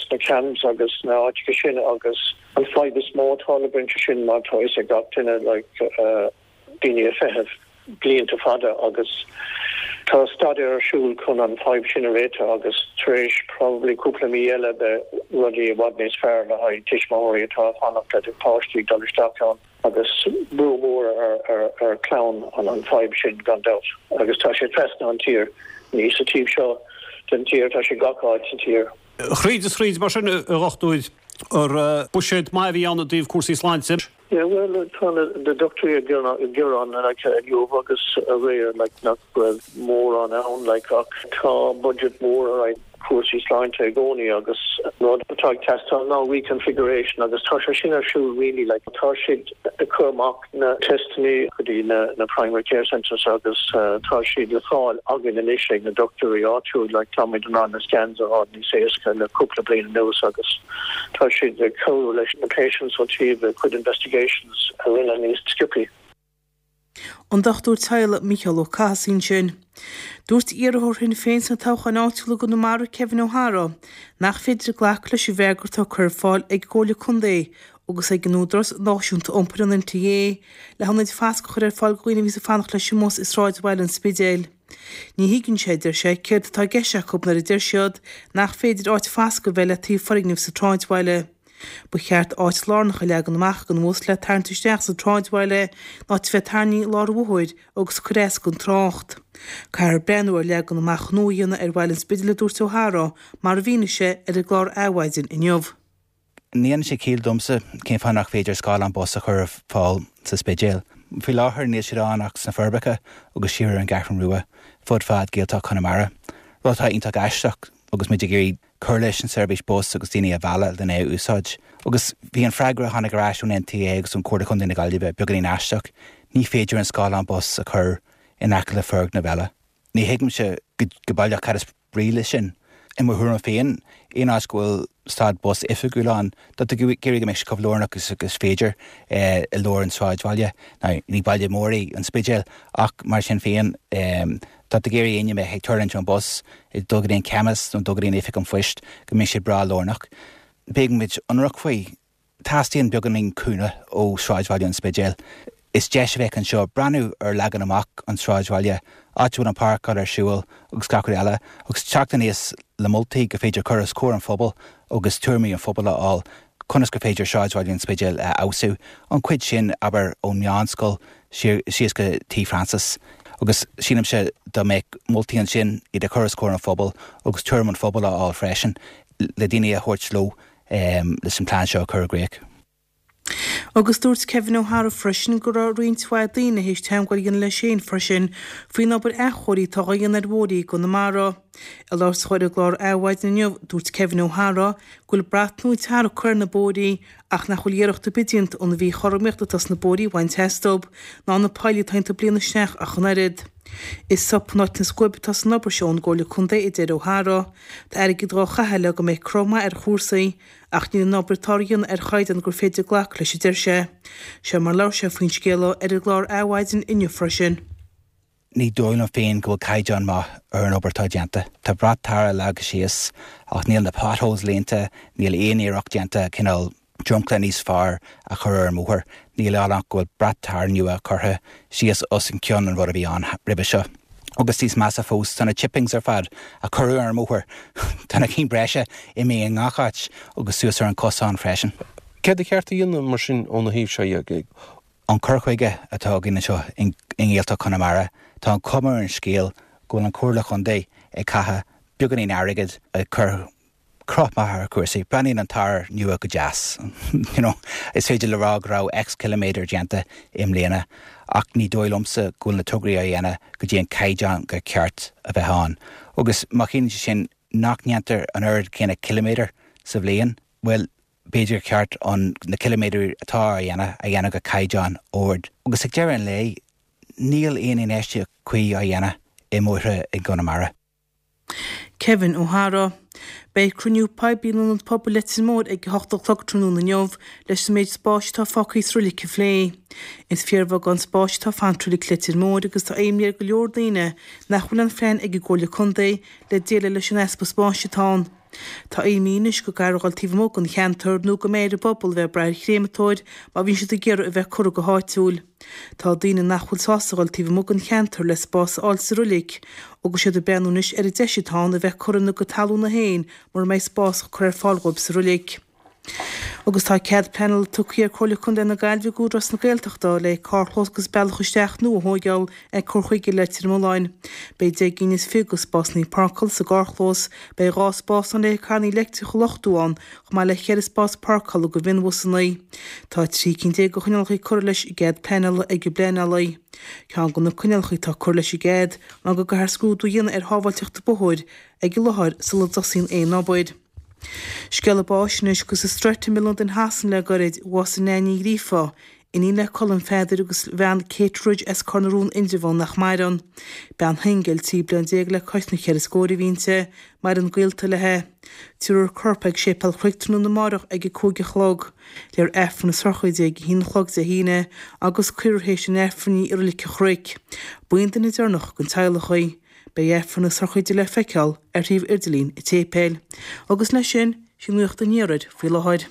sna CAMHS agus sna áiteacha sin agus An fadhb is mó atá le baint sin mar tá fhios ag gach duine like daoine ag feitheamh blianta fada agus tá staidéar ar siúl chun an fadhb sin a réiteach agus tar éis probably cúpla mí eile beidh rudaí i bhfad níos fearr le haghaidh tuismitheoirí atá ag fanacht le páistí ag dul isteach ann agus brú mór ar ar ar clann an an fadhb sin gan dabht agus tá sé trasna an tír ní sa taobh seo den tír tá sé gach áit sa tír. Thríd is thríd mar sin, a dhochtúir, ar buiséad maith a bhí ann i dtaobh cúrsaí sláinte? Yeah, bhuel, tá na dochtúirí ag gearán like inniu agus aréir like nach raibh mórán ann like ach tá budget mór ar aghaidh cúrsaí sláinte i gcónaí agus rud atá ag teastáil ná reconfiguration agus tá sé sin ar siúl really like tá siad ag cur amach na teisteanna go dtí na primary care centres agus tá siad le fáil againn anois ag na dochtúirí áitiúil like táimid in ann na scans a fháil níos éasca le cúpla bliain anuas agus tá siad ag cabhrú leis na patients ó taobh a cuid investigations a rinneadh níos sciobthaí. An Dochtúir Teaghlaigh Micheál Ó Cathasaigh ansin. Dúirt iarrthóir Shinn Féin sna toghcháin áitiúla i gConamara, Kevin O'Hara, nach féidir glacadh leis an bhfreagra atá curtha ar fáil ag an gComhairle Contae. agus ag an Údarás Náisiúnta Iompair, an NTA, le hionaid fasctha a chur ar fáil do dhaoine a bhíos ag fanacht leis an mbus i sráidbhaile an Spidéil. Ní thuigeann sé, a deir sé, céard atá i gceist acu nuair a deir siad nach féidir áit fasctha a bheith le taobh foirgnimh sa tsráidbhaile. Ba cheart áit lárnach a leagan amach don bhus le tarraingt isteach sa tsráidbhaile ná a bheith tarraingthe i lár an bhóthair agus ag cur as don trácht. Caithfear breathnú ar leagan amach nua a dhéanamh ar bhaile an Spidéil a dúirt Ó hEaghra mar a mhínigh sé ar an gclár Adhmhaidin inniu. Ní dhéanann sé ciall domsa cén fáth nach féidir scáileán bus a chur ar fáil sa Spidéal. Faoi láthair níl siad ann ach sna Forbacha agus siar ar an gCeathrú Rua, fud fad Gaeltacht Chonamara. Rud atá iontach aisteach agus muid ag iarraidh cur leis an seirbhís bus agus daoine a mhealladh lena é a úsáid. Agus bhí an freagra a tháinig ar ais ón NTA agus ón Comhairle Chontae na Gaillimhe beagáinín aisteach, ní féidir an scáileán bus a chur in aice le foirgneamh eile. Ní thuigimse go baileach cad is brí leis sin. I mo thuairim féin, aon áit go bhfuil stad bus oifigiúil ann, tá tú ag iarraidh go mbeidh sé chomh lárnach is is féidir i lár an sráidbhaile. Now, ní baile mór é an Spidéal ach mar sin féin, tá tú ag iarraidh éinne a bheith ag tuirlingt ón bus, ag dul go dtí an chemist nó dul go dtí an oifig an phoist, go mbeidh sé breá lárnach. Beidh muid ionraic faoi. Teastaíonn beagáinín cúnamh ó sráidbhaile an Spidéil. Is deis a bheadh anseo breathnú ar leagan amach an tsráidbhaile, áit a bhfuil an páirceáil ar siúl agus gach rud eile, agus teacht aníos le moltaí gur féidir cur os comhair an phobail agus tuairimí an phobail a fháil conas gur féidir sráidbhaile an Spidéil a fheabhsú, an chuid sin, abair, ón meánscoil síos go Tigh Francis. Agus sílimse dá mbeadh moltaí ansin, iad a chur os comhair an phobail agus tuairim an phobail a fháil freisin, le daoine a thabhairt leo leis an plean seo a chur i gcrích. Agus dúirt Kevin Ó hEadhra freisin go raibh roinnt mhaith daoine théis teagmháil a dhéanamh leis féin freisin faoin obair athchóirithe atá á dhéanamh ar bhóithre i gConamara. Ag labhairt dó ar an gclár Adhmhaidin inniu, dúirt Kevin Ó hEadhra go bhfuil brat nua tarra curtha ar na bóithrí ach nach bhfuil iarracht ar bith déanta an mhíchothromaíocht atá sna bóithrí a bhaint astu, ná na poill atá iontu ag blianadh isteach ach an oiread. Is sop in áit na scuaibe atá san obair seo ón gComhairle Contae, a deir Ó hEadhra. Tá airgead dhá chaitheamh le go mbeidh cruth maith ar chúrsaí, ach níl an obair atá á dhéanamh ar chaighdeán gur féidir glacadh leis, a deir sé. Seo mar labhair sé faoin scéal ar an gclár Adhmhaidin inniu freisin. Ní dóigh liom féin go bhfuil caighdeán maith ar an obair atá déanta. Tá brat tarra leagtha síos ach níl na potholes líonta, níl aon iarracht déanta cineál dromchla níos fearr a chur ar an mbóthar. Níl ann ach go bhfuil brat tarra nua curtha síos os cionn an rud a bhí ann roimhe seo. Agus níos measa fós, tá na chippings ar fad a cuireadh ar an mbóthar, tá na cinn breise imithe i ngach áit agus suas ar an cosán freisin. Céard ba cheart a dhéanamh mar sin óna thaobh seo dhe? An cur chuige atá againn anseo i nGaeltacht Chonamara, tá an chuma ar an scéal go bhfuil an Chomhairle Chontae ag caitheamh beagáinín airgid ag cur cruth maith ar chúrsaí. Breathnaíonn an tar nua go deas. You know, is féidir le rá go raibh X ciliméadar déanta i mbliana ach ní dóigh liomsa go bhfuil na tograí á dhéanamh go dtí an caighdeán gur ceart a bheith ann. Agus má chiallaíonn sé sin nach ndéantar an oiread céanna ciliméadar sa bhliain, bhuel, b'fhéidir gur ceart an na ciliméadair atá á dhéanamh a dhéanamh go caighdeán ard. Agus ag deireadh an lae, níl aon infheistíocht cuí á dhéanamh i mbóithre i gConamara. Kevin Ó hEadhra. Beidh cruinniú poiblí in Ionad Pobail Leitir Móir ag a hocht a chlog tráthnóna inniu leis an méid spáis atá fágtha sa roilig a phlé. Is fíorbheagán spáis atá fanta i roilig Leitir Móir agus tá imní ar go leor daoine nach bhfuil aon phlean ag an gComhairle Contae le déileáil leis an easpa spáis atá ann. Tá imní anois go gcaithfear a dhul taobh amuigh den cheantar nó go mbeidh ar an bpobal a bheith ag brath ar chréamatóir má bhíonn siad ag iarraidh a bheith curtha go háitiúil. Tá daoine nach bhfuil sásta a dhul taobh amuigh den cheantar le spás a fháil sa roilig agus iad ag breathnú anois ar an deis atá ann a bheith curtha ina gcuid talúna féin mura mbeidh spás curtha ar fáil dhóibh sa roilig. Agus tá cead pleanála tugtha ag Comhairle Contae na Gaillimhe ag Údarás na Gaeltachta le carrchlós agus bealach isteach nua a thóigeáil ag cur chuige Leitir Mealláin. Beidh 10 gcinn is fiche de spásanna páirceála sa gcarrchlós, beidh 2 spás ann le carranna leictreacha a luchtú ann, chomh maith le ceithre spás páirceála do mhionbhusanna. Tá 13 cinn de choinníollacha curtha leis an gcead pleanála ag an bpleanálaí. Ceann de na coinníollacha atá curtha leis an gcead ná go gcaithfear scrúdú a dhéanamh ar shábháilteacht an bhóthair ag an láthair sula dtosaíonn aon obair. Scéala báis anois agus i Streatham i Londain Shasana le gairid, bhásaigh Nan Ní Ghríofa, iníon le Colm Pheadair agus a bhean Kate Rudge as Cor na Rón Indreabhán nach maireann. Bean shingil, 13 bliain le cois na cheithre scóir a bhí inti, maireann gaolta léi. Tabharfar a corp ag Séipéal Chnoic tráthnóna amárach ag a 5 a chlog. Léifear Aifreann na sochraide ag a haon a chlog Dé hAoine agus cuirfear théis an Aifrinn í i Reilig an Chnoic. Ba í an duine deireanach den teaghlach í. Beidh Aifreann na sochraide le feiceáil ar shuíomh idirlín an tséipéil. Agus leis sin, sin nuacht an iarthair faoi láthair.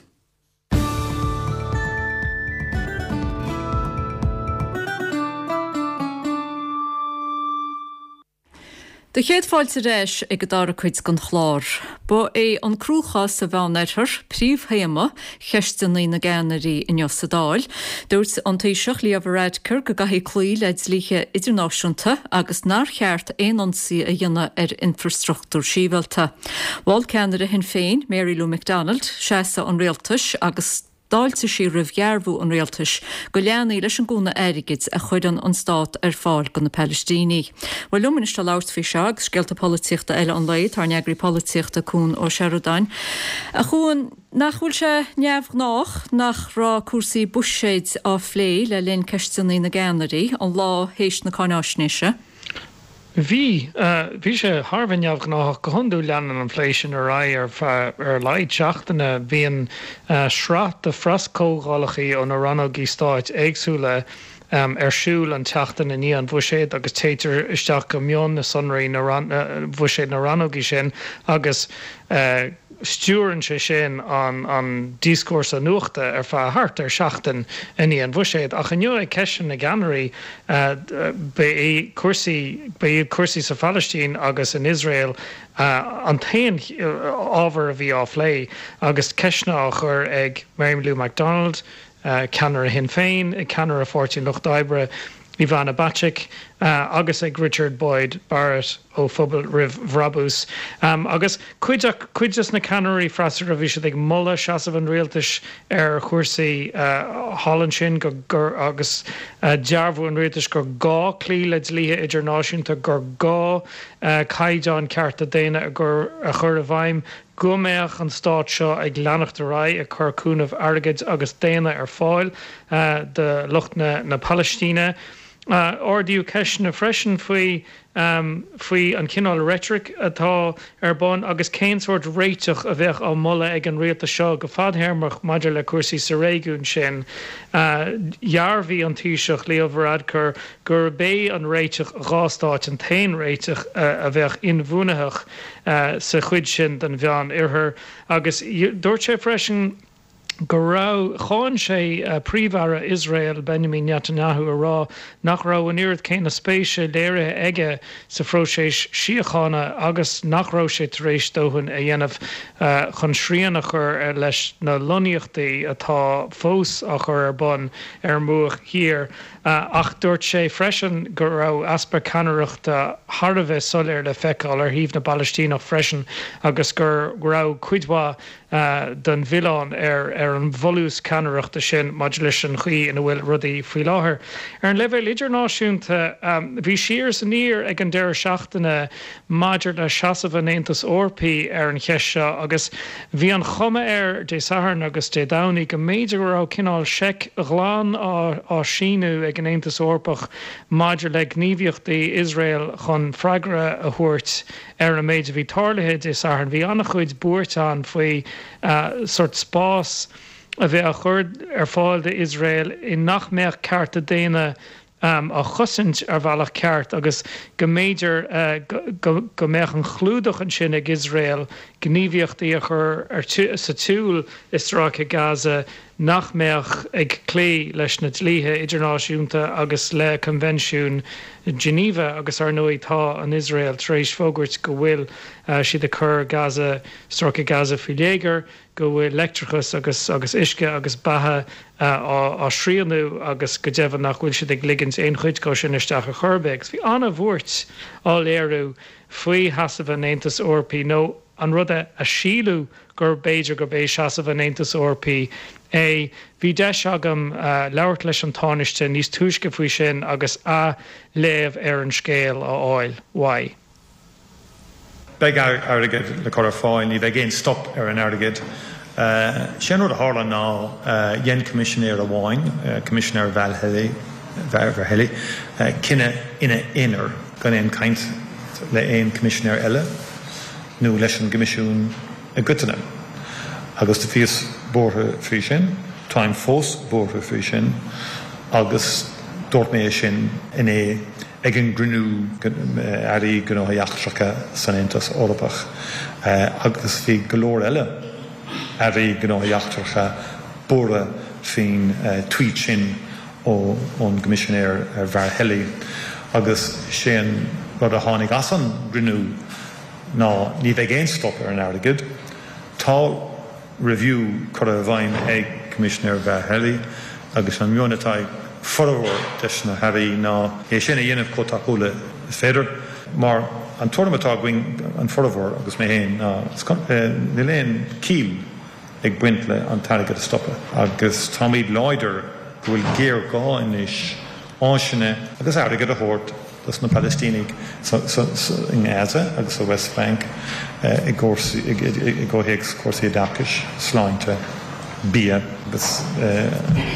Do chéad fáilte ar ais ag an dara cuid den chlár. Ba é an cruachás sa Mheán-Oirthear príomhthéama cheisteanna na gceannairí inniu sa Dáil. Dúirt an Taoiseach Leo Varadkar go gcaithfí cloí le dlíthe idirnáisiúnta agus nár cheart aon ionsaí a dhéanamh ar infrastruchtúr sibhialta. Mhol ceannaire Shinn Féin, Mary Lou McDonald, seasamh an rialtais agus D'fháiltigh sí roimh dhearbhú an rialtais go leanfaí leis an gcúnamh airgid a chuireann an stát ar fáil do na Palaistínigh. Bhuel, liom anois le labhairt faoi seo agus scéalta polaitíochta eile an lae, tá ár n-eagraí polaitíochta, Cuan Ó Seireadáin. A Chuain, nach bhfuil sé neamhghnách nach raibh cúrsaí buiséid á phlé le linn Ceisteanna na gCeannairí an lá théis na cáináisnéise? Bhí. Bhí sé thar a bheith neamhghnáthach. Go hiondúil leanann an plé sin ar aghaidh ar feadh ar a laghad seachtaine. Bíonn sraith de phreaschomhdhálacha ó na rannógaí stáit éagsúla ar siúl an tseachtain i ndiaidh an bhuiséid agus téitear isteach go mion i sonraí na bhuiséad na rannógaí sin agus Stiúrann sé sin an díoscúrsa nuachta ar feadh thart ar sheachtain i ndiaidh an bhuiséid. Ach inniu ag Ceisteanna na gCeannairí, ba é cúrsaí, ba iad cúrsaí sa Phalaistín agus in Iosrael an t-aon ábhar a bhí á phlé agus ceisteanna á chur ag Mary Lou McDonald, ceannaire Shinn Féin, ag ceannaire Pháirtí an Lucht Oibre, Ivana Bacik, agus ag Richard Boyd Barrett ó Phobal Roimh Bhrabús. Agus cuid cuid des na ceannairí freasúra, bhí siad ag moladh seasamh an rialtais ar chúrsaí thall ansin go gur agus dearbhú an rialtais gur gá cloí le dlíthe idirnáisiúnta, gur gá caighdeáin cearta daonna a chur i bhfeidhm, go mbeadh an stát seo ag leanacht ar aghaidh ag cur cúnamh airgid agus daonna ar fáil do lucht na Palaistíne. Ardaíodh ceisteanna freisin faoi faoi an chineál reitric atá ar bun agus cén sórt réiteach a bheadh á moladh ag an rialtas seo go fadthéarmach maidir le cúrsaí sa réigiún sin. Dhearbhaigh an Taoiseach Leo Varadkar gurb é an réiteach dhá stáit an t-aon réiteach a bheadh inbhuanaitheach. sa chuid sin den Mheán Oirthear agus dúirt sé freisin go raibh, cháin sé Príomh-Aire Iosrael Benjamin Netanyahu a rá nach raibh an oiread céanna spéise léirithe aige sa phróiseas síochána agus nach raibh sé tar éis dóthain a dhéanamh chun srian a chur leis na lonnaíochtaí atá fós á chur ar bun ar an mBruach Thiar. Ach dúirt sé freisin go raibh easpa ceannaireachta thar a bheith soiléir le feiceáil ar thaobh na bPalaistíneach freisin agus go raibh cuid mhaith den mhilleán ar an bhfolús ceannaireachta sin maidir leis an chaoi ina bhfuil rudaí faoi láthair. Ar an leibhéal idirnáisiúnta, bhí siar is aniar ag an deireadh seachtaine maidir le seasamh an Aontais Eorpaigh ar an cheist seo agus bhí an chuma air Dé Sathairn agus Dé Domhnaigh go mb'fhéidir go raibh cineál seic ghlan á síniú ag an Aontas Eorpach maidir le gníomhaíochtaí Iosrael chun freagra a thabhairt ar an méid a bhí tarlaithe Dé Sathairn. Bhí an-chuid buairt ann faoi sórt spás a bheith á chur ar fáil d'Iosrael i nach mbeadh cearta daonna á chosaint ar bhealach ceart agus go mb'fhéidir go mbeadh an clúdach ansin ag Iosrael gníomhaíochtaí a chur sa tsiúl i Stráice Gaza nach mbeadh ag cloí leis na dlíthe idirnáisiúnta agus le Coinbhinsiún Geneva agus ar ndóigh tá an Iosrael tar éis fógairt go bhfuil siad ag cur Gaza, Stráice Gaza faoi léigear. go bhfuil leictreachas agus agus uisce agus beatha á srianú agus go deimhin nach bhfuil siad ag ligint aon chuid dhó sin isteach ar chor ar bith. Agus bhí an-bhuairt á léiriú faoi sheasamh an Aontais Eorpaigh, nó an rud a síleadh gur b'fhéidir gurb é seasamh an Aontais Eorpaigh é. Bhí deis agam labhairt leis an Tánaiste níos túisce faoi sin agus a léamh ar an scéal a fháil uaidh. Beidh airgead le cur ar fáil, ní bheidh aon stop ar an airgead. Sé an rud a tharla ná dhein coimisinéir amháin, Coimisinéir Várhelyi, cinneadh ina aonar gan aon chaint le aon choimisinéir eile nó leis an gCoimisiún i gcoitinne. Agus do bhíos buartha faoi sin, táim fós buartha faoi sin agus dúirt mé é sin inné. Ag an gcruinniú Airí Gnóthaí Eachtracha san Aontas Eorpach, agus bhí go leor eile Airí Gnóthaí Eachtracha buartha faoin tweet sin ón gCoimisinéir Várhelyi, agus sé an. rud a tháinig as an gcruinniú ná ní bheidh aon stop ar an airgead. Tá review curtha i bhfeidhm ag Coimisinéir Várhelyi agus an meon atá ag formhór des na hairí ná é sin a dhéanamh chomh tapúil is féidir mar an tuairim atá againn, an formhór agus mé féin, ná níl aon chiall ag baint le an t-airgead a stopadh agus táimid láidir go bhfuil géarghá anois áiseanna agus airgead a thabhairt dos na Palaistínigh i nGaza agus sa West Bank i gcomhthéacs cúrsaí oideachais, sláinte, bia agus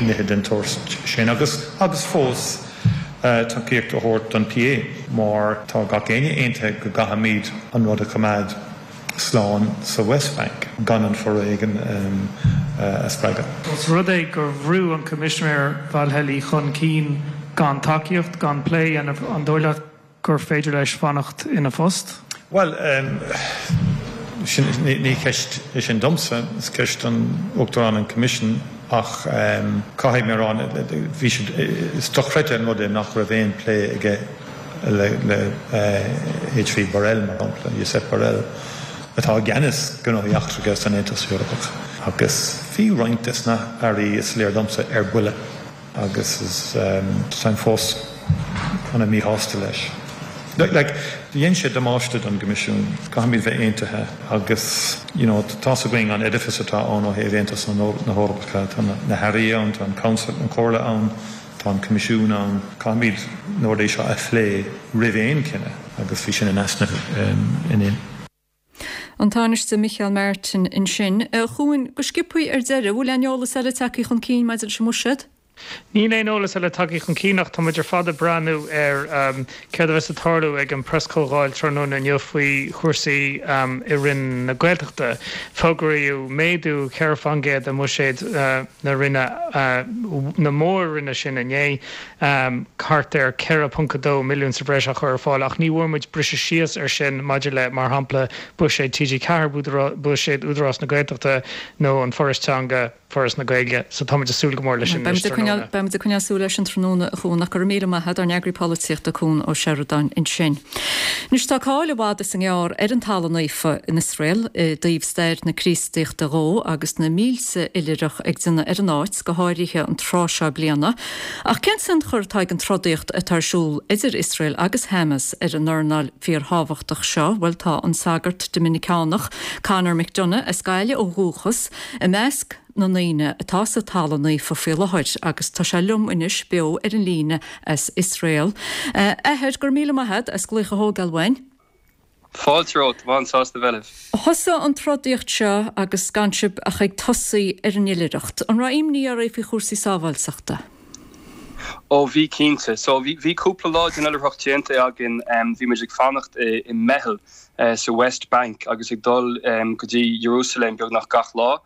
nithe den tsórt sin agus agus fós tacaíocht a thabhairt don PA mar tá gach éinne aontaithe go gcaithfimid an rud a choimeád slán sa West Bank gan an foréigean a spreagadh. Ós rud é gur bhrú an Coimisinéir Várhelyi chun cinn gan tacaíocht, gan plé a dhéanamh, an dóigh leat gur féidir leis fanacht ina phost? Bhuel, sin, ní ceist é sin domsa, is ceist don Uachtarán an Coimisiún ach caithfidh mé a rá, bhí siad, is dochreidte an rud é nach raibh aon plé aige le H.V. Borrell, mar shampla, Josep Borrell, atá i gceannas gnóthaí eachtracha san Aontas Eorpach. Agus bhí roinnt des na hairí, is léir domsa, ar buile agus is táim fós ana míshásta leis. Like, dhein sé damáiste don gCoimisiún. Caithfimid bheith aontaithe agus, you know, tá's againn an edifice atá ann ó thaobh Aontas na hEorpa, tá na hairí ann, tá an Council, an Chomhairle ann, Tá an Coimisiún ann. Caithfimid na rudaí seo a phlé roimh aon chinneadh agus bhí sin in easnamh inné. An Tánaiste Micheál Martin ansin. A Chuain, go sciobthaí ar deireadh, bhfuil aon eolas eile tagtha chun cinn maidir leis an mbuiséad? Níl aon eolas eile tagtha chun cinn ach tá muid ar fad ag breathnú ar céard a bheas ag tarlú ag an preaschomhdháil tráthnóna inniu faoi chúrsaí i Roinn na Gaeltachta. Fógraíodh méadú 4 fán gcéad i mbuiséad na Roinne, na mór-roinne sin inné, thart ar 4.2 milliún sa bhreis á chur ar fáil ach ní bhfuair muid briseadh síos air sin maidir le, mar shampla, buiséad TG4, buiséad Údarás na Gaeltachta nó an Foras Teanga. Foras na Gaeilge. So táimid ag súil go mór leis sin anois tráthnóna. Beimid ag coinneáil súil air sin tráthnóna, a Chuan, ach go raibh míle maith agat, ár n-eagraí polaitíochta Cuan Ó Seireadáin ansin. Anois tá cáil i bhfad is i ngearr ar an Talamh Naofa in Iosrael i dtaobh stair na Críostaíochta dhó agus na mílte oilithreach ag déanamh ar an áit, go háirithe an tráth seo bliana. Ach cén tionchar atá ag an trodaíocht atá ar siúl idir Iosrael agus Hamas ar an earnáil fíorthábhachtach seo? Bhuel tá an sagart Doiminiceánach Conor McDonagh, as Gaillimh ó dhúchas, I measc na ndaoine atá sa Talamh Naofa faoi láthair agus tá sé liom anois beo ar an líne as Iosrael. A Athair, go raibh míle maith a't as glaoch a thógáil uainn. Fáilte romhat, táim an-sásta bheith libh. Thosaigh an trodaíocht seo agus gan sibh ach ag tosaí ar an oilithreacht. An raibh imní oraibh faoi chúrsaí sábháilteachta? Ó bhí cinnte. So bhí bhí cúpla lá den oilithreacht déanta againn. Bhí muid ag fanacht i i mBeithil sa West Bank agus ag dul go dtí Iarúsailéim beagnach gach lá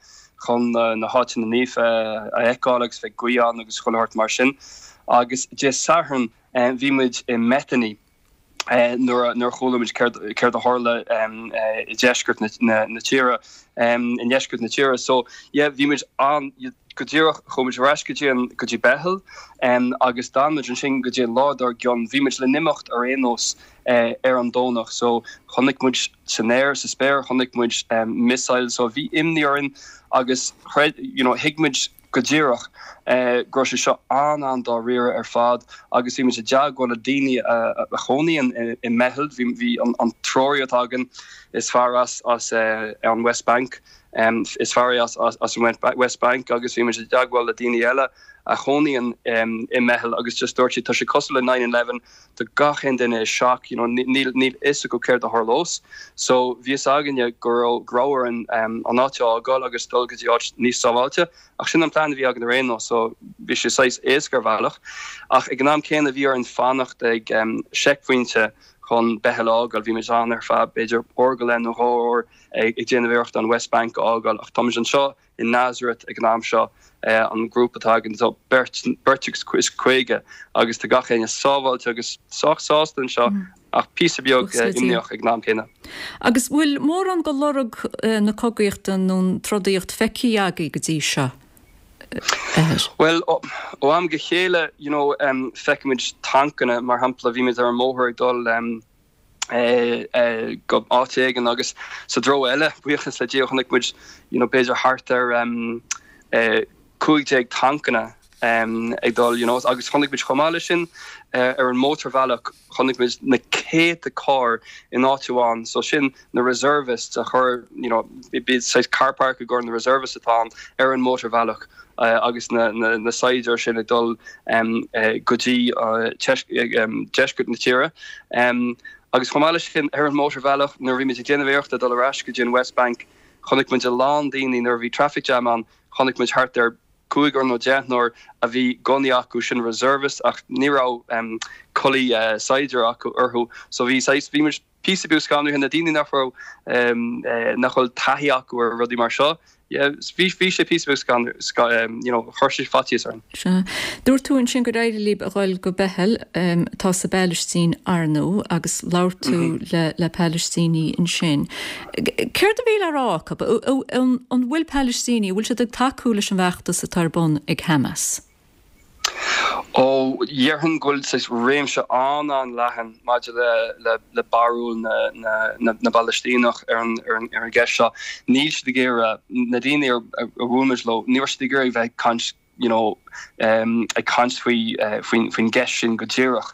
chun na háiteanna naofa a fheiceáil agus bheith ag guí ann agus chuile shórt mar sin. Agus Dé Sathairn bhí muid i mBethany nuair a chuala muid céard a tharla i deisceart na tíre, i ndeisceart na tíre. So yeah bhí muid an, go díreach chuaigh muid ar ais go dtí an, go dtí Beithil agus d'fhan muid ansin go dtí an lá dár gcionn. Bhí muid le n-imeacht ar aon nós ar an Domhnach so chonaic muid san aer, sa spéir, chonaic muid missiles so bhí imní orainn agus chreid, you know, thuig muid go díreach go raibh sé seo an-an-dáiríre ar fad agus bhí muid i dteagmháil le daoine a chónaíonn i mBeithil, bhí bhí an treoraí atá againn, is fear as as an West Bank, is fear é as as an West Bank agus bhí muid i dteagmháil le daoine eile a chónaíonn i mBeithil agus just dúirt siad tá sé cosúil le nine eleven, Tá gach aon duine i shock, you know, níl níl fhios acu céard a tharlós. So bhí fhios againne go raibh go raibh orainn an áit a fhágáil agus dul go dtí áit níos sábháilte. Ach sin an plean a bhí againn ar aon nós, so bhí sé saghas éasca ar bhealach. Ach ag an am céanna bhí orainn fanacht ag seicphointe chun Beithil a fhágáil. Bhí muid ann ar feadh b'fhéidir uair go leith nó dhá uair ag déanamh iarrachta an West Bank a fhágáil. Ach táimid anseo i Nazareth ag an am seo, an grúpa atá againn, tá beirt, beirt agus is 50 agus tá gach éinne sábháilte agus sách sásta anseo ach píosa beag imníoch ag an am céanna. Agus bhfuil mórán de lorg na cogaíochta nó an trodaíocht feicthe agaibh go dtí seo, a Athair? Bhuel, ó am go chéile, you know, feicimid tancanna, mar shampla, bhí muid ar an mbóthar ag dul. Go áit éigin agus sa dtreo eile, buíochas le Dia, chonaic muid you know b'fhéidir thart ar 15 tancanna ag dul you know agus chonaic muid chomh maith leis sin ar an mótarbhealach chonaic muid na céadta carr in áit amháin so sin na reservists a chuir you know bíonn saghas car park i gcomhair na reservists atá ann ar an mótarbhealach agus na na saighdiúir sin ag dul go dtí deisceart na tíre. Agus chomh maith leis sin ar an mótarbhealach nuair a bhí muid ag déanamh iarrachta dul ar ais go dtí an West Bank chonaic muid a lán daoine nuair a bhí traffic jam ann chonaic muid thart ar cúigear nó deichniúr a bhí gunnaí acu sin reservists ach ní raibh culaith saighdiúir acu orthu so bhí saghas bhí muid píosa beag scanraithe, na daoine nach raibh, nach bhfuil taithí acu ar rudaí mar seo, yeah, bhí, bhí sé píosa beag scanraithe, you know, chuir sé faitíos orainn. Sea. Dúirt tú ansin gur éirigh libh a dhul go Beithil, atá sa bPalaistín, ar ndóigh, agus labhair tú le, le Palaistínigh ansin. Céard a bhí le rá acu? An, an bhfuil Palaistínigh, an bhfuil siad ag tacú leis an bhfeachtas atá ar bun ag Hamas? Ó, dhéarfainn go bhfuil saghas réimse an-an-leathan maidir le barúil na bPalaistíneach ar an gceist seo. Níl siad ag iarraidh, na daoine a bhuail muid leo, ní raibh siad ag iarraidh bheith ag caint you know ag caint faoi faoin gceist sin go díreach.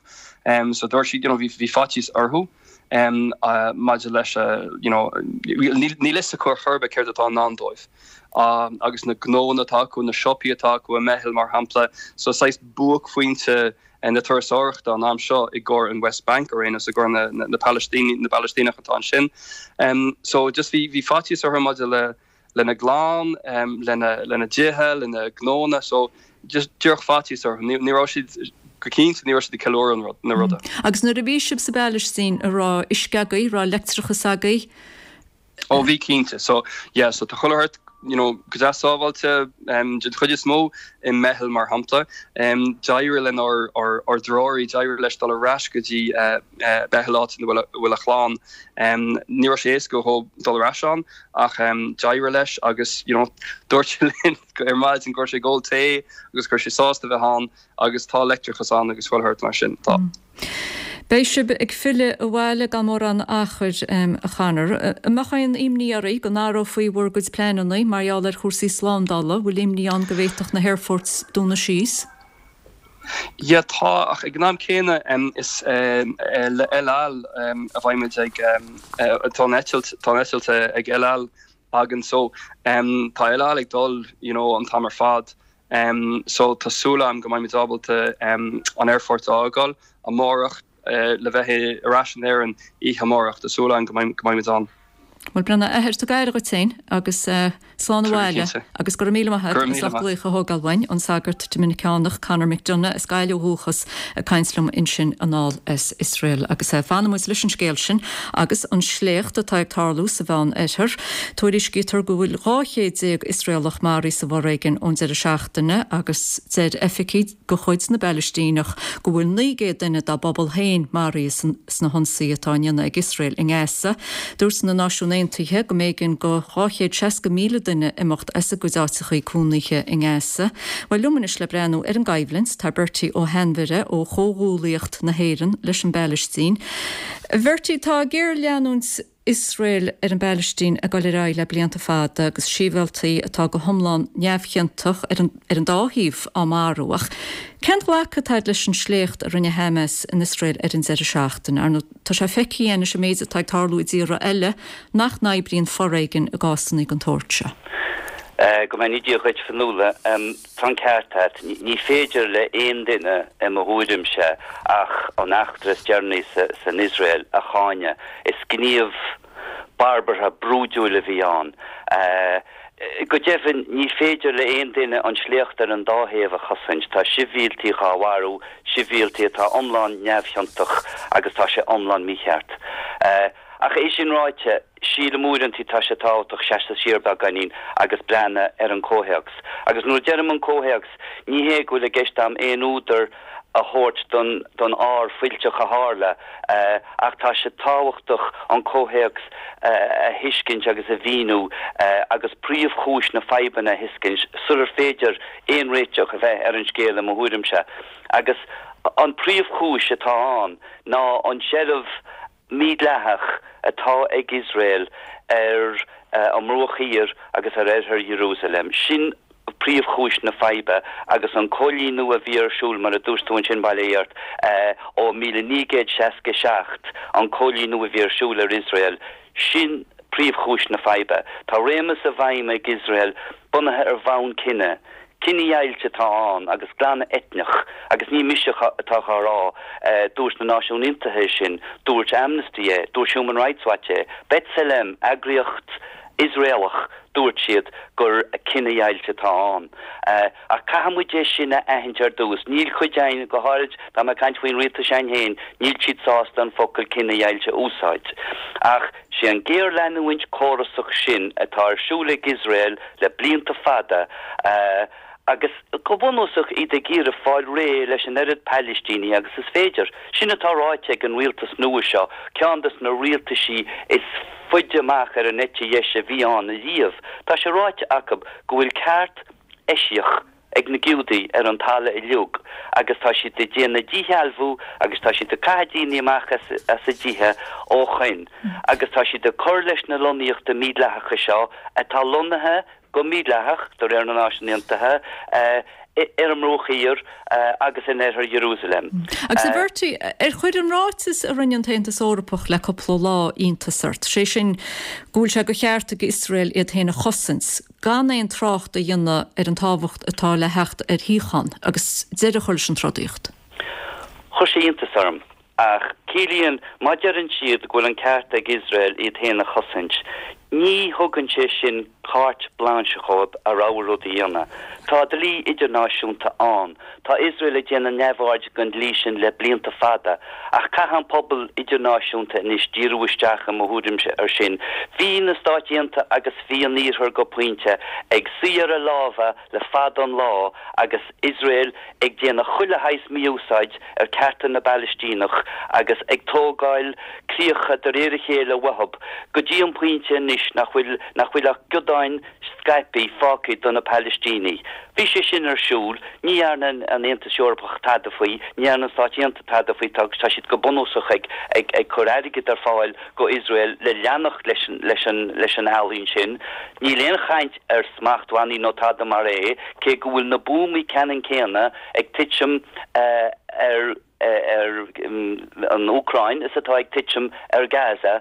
So dúirt siad you know bhí faitíos orthu maidir leis you know níl fhios acu ar chor ar bith céard atá i ndán dóibh. agus na gnóanna atá acu, na siopaí atá acu i mBeithil mar shampla. So saghas buaicphointe na turasóireachta an am seo i gcomhair an West Bank ar aon nós, i gcomhair na na Palaistíneach atá ansin. So just bhí bhí faitíos orthu maidir le lena gclann, lena lena dtithe, lena ngnóanna. So just díreach faitíos orthu. Ní ní raibh siad go cinnte ní raibh siad ag ceiliúradh an rud na ruda. Agus nuair a bhí sibh sa bPalaistín, an raibh uisce agaibh, raibh leictreachas agaibh? Ó bhí cinnte. So yeah, so tá chuile shórt, you know, go deas sábháilte den chuid is mó i mBeithil mar shampla. D'éirigh lenár ár ár dtreoraí, d'éirigh leis dul ar ais go dtí Beithil áit ina bhfuil a bhfuil a chlann. Ní raibh sé éasca dhó dul ar ais ann ach d'éirigh leis agus, you know, dúirt sé linn ar maidin go raibh sé ag ól tae agus go raibh sé sásta bheith ann agus tá leictreachas ann agus chuile shórt mar sin. Tá. Beidh sibh ag filleadh abhaile gan mórán achair, a Chonor. An mbeadh aon imní oraibh go n-athrófaí bhur gcuid pleananna mar gheall ar chúrsaí slándála? Bhfuil imní ann go bhféadfadh na haerfoirt dúnadh síos? Yeah, tá, ach ag an am céanna is le El Al a bheidh muid ag, tá an eitilt, tá an eitilt ag El Al againn so tá El Al ag dul you know an t-am ar fad. So tá súil agam go mbeidh muid ábalta an aerfort a fhágáil amárach le bheith ar ais in Éirinn oíche amárach. Tá súil agam go mbeidh muid ann. Bhuel, Breandán, a athair, tug aire dhuit féin agus slán abhaile agus go raibh míle maith agat as ucht glaoch a thógáil uainn, an sagart Doiminiceánach Conor McDonagh as Gaillimh ó dhúchas ag caint liom ansin anall as Iosrael. Agus fanfaidh muid leis an scéal sin agus an sléacht atá ag tarlú sa Mheán Oirthear. Tuairiscítear go bhfuil 12 chéad Iosraelach maraithe sa bhforéigean ón deireadh seachtaine agus deir oifigigh de chuid na bPalaistíneach go bhfuil 900 duine dá bpobal féin maraithe sna hionsaithe atá á ndéanamh ag Iosrael i nGaza. Dúirt na Náisiúin Aontaithe go mb'éigean do 260,000 duine imeacht as a gcuid áiteachaí cónaithe i nGaza. Bhuel, liom anois le breathnú ar an gcoimhlint tá Bertie Ó hAinmhire ó Chomhghuallaíocht na hÉireann leis an bPalaistín. A Bhertie, tá géarleanúint Iosrael ar an bPalaistín ag dul ar aghaidh le blianta fada agus sibhialtaigh atá go hiomlán neamhchiontach ar an ar an dá thaobh á marú. Ach cén ghlacadh atá agat leis an sléacht a rinne Hamas in Iosrael ar an deireadh seachtaine? Ar ndóigh, tá sé feicthe againn anois an méid atá ag tarlú i dtíortha eile nach n-oibríonn foréigean i gcásanna den tsórt seo. Go mbeannaí Dia dhuit, Fionnuala. Tá an ceart agat. Ní féidir le aon duine, i mo thuairimse, ach an eachtra is deireanaí san Iosrael a cháineadh. Is gníomh barbartha, brúidiúil a bhí ann. Go deimhin, ní féidir le aon duine an sléacht ar an dá thaobh a chosaint. Tá sibhialtaigh á mharú, sibhialtaigh atá iomlán neamhchiontach agus tá sé iomlán mícheart. Ach é sin ráite, Sílim uaireantaí tá sé tábhachtach seasamh siar beagáinín agus breathnú ar an comhthéacs. Agus nuair a deirim an comhthéacs, ní hé go bhfuil i gceist a'm aon údar a thabhairt don don ár fuilteach a tharla, ach tá sé tábhachtach an comhthéacs a thuiscint agus a mhíniú agus príomhchúis na fadhbanna a thuiscint sular féidir aon réiteach a bheith ar an scéal i mo thuairimse. Agus an príomhchúis atá ann ná an tseilbh. mídhleathach atá ag Iosrael ar an mBruach Thiar agus ar Oirthear Iarúsailéim. Sin príomhchúis na faidhbe agus an coilíniú a bhí ar siúl, mar a dúirt tú ansin, bail ó Dhia ort, ó 1967, an coilíniú a bhí ar siúl ar Iosrael, sin príomhchúis na faidhbe. Tá réimeas i bhfeidhm ag Iosrael bunaithe ar bhonn cine. Cinedheighilt atá ann agus glanadh eitneach agus ní mise atá á rá, dúirt na Náisiúin Aontaithe é sin, dúirt Amnesty é, dúirt Human Rights Watch é, B'Tselem, eagraíocht Iosraelach, dúirt siad gur cinedheighilt atá ann. Ach caithfidh muid é sin a aithint ar dtús. Níl cuid againn, go háirid tá mé ag caint faoin rialtas s'againn féin, níl siad sásta an focal cinedheighilt a úsáid. Ach sé an géarleanúint córasach sin atá ar siúl ag Iosrael le blianta fada agus go bunúsach iad ag iarraidh fáil réidh leis an oiread Palaistínigh agus is féidir. Sin atá ráite ag an rialtas nua seo, ceann des na rialtaisí is faide amach ar an eite dheis a bhí ann ariamh. Tá sé ráite acu go bhfuil ceart eisiach ag na Giúdaigh ar an talamh uilig agus tá siad ag déanamh díshealbhú agus tá siad ag caitheamh daoine amach as a dtithe ó shoin agus tá siad ag cur leis na lonnaíochta mídhleathacha seo atá lonnaithe go mídhleathach, de réir na Náisiún Aontaithe, ar an mBruach Thiar agus in Oirthear Iarúsailéim. Agus a Bhertie, ar chuir an ráiteas a rinne an tAontas Eorpach le cúpla lá iontas ort, sé sin go bhfuil sé de cheart ag Iosrael iad féin a chosaint, gan aon trácht a dhéanamh ar an tábhacht atá le theacht ar shíocháin agus deireadh a chur leis an trodaíocht? Chuir sé iontas orm. Ach ciallaíonn, má deireann siad go bhfuil an ceart ag Iosrael iad féin a chosaint, ní thugann sé sin carte blanche dhóibh a rogha rud a dhéanamh. Tá dlí idirnáisiúnta ann. Tá Iosrael ag déanamh neamhaird den dlí sin le blianta fada. Ach caithfidh an pobal idirnáisiúnta anois díriú isteach, i mo thuairimse, ar sin. Bhí na Stáit Aontaithe agus bhí an Iarthar go pointe ag suí ar a lámha le fada an lá agus Iosrael ag déanamh chuile shaghas mí-úsáid ar cearta na bPalaistíneach agus ag tógáil críocha de réir a chéile uathub go dtí an pointe anois nach bhfuil nach bhfuil ach giodáin scaipthe fágtha do na Palaistínigh. Bhí sé sin ar siúl, ní dhearna an Aontas Eorpach tada faoi, ní dhearna na Stáit Aontaithe tada faoi, tá tá siad go bunúsach ag ag ag cur airgead ar fáil go Iosrael le leanacht leis an leis an leis an ealaín sin. Níl aon chaint ar smachtbhannaí nó tada mar é, cé go bhfuil na buamaí ceannann céanna ag titim ar ar an Úcráin is atá ag titim ar Gaza,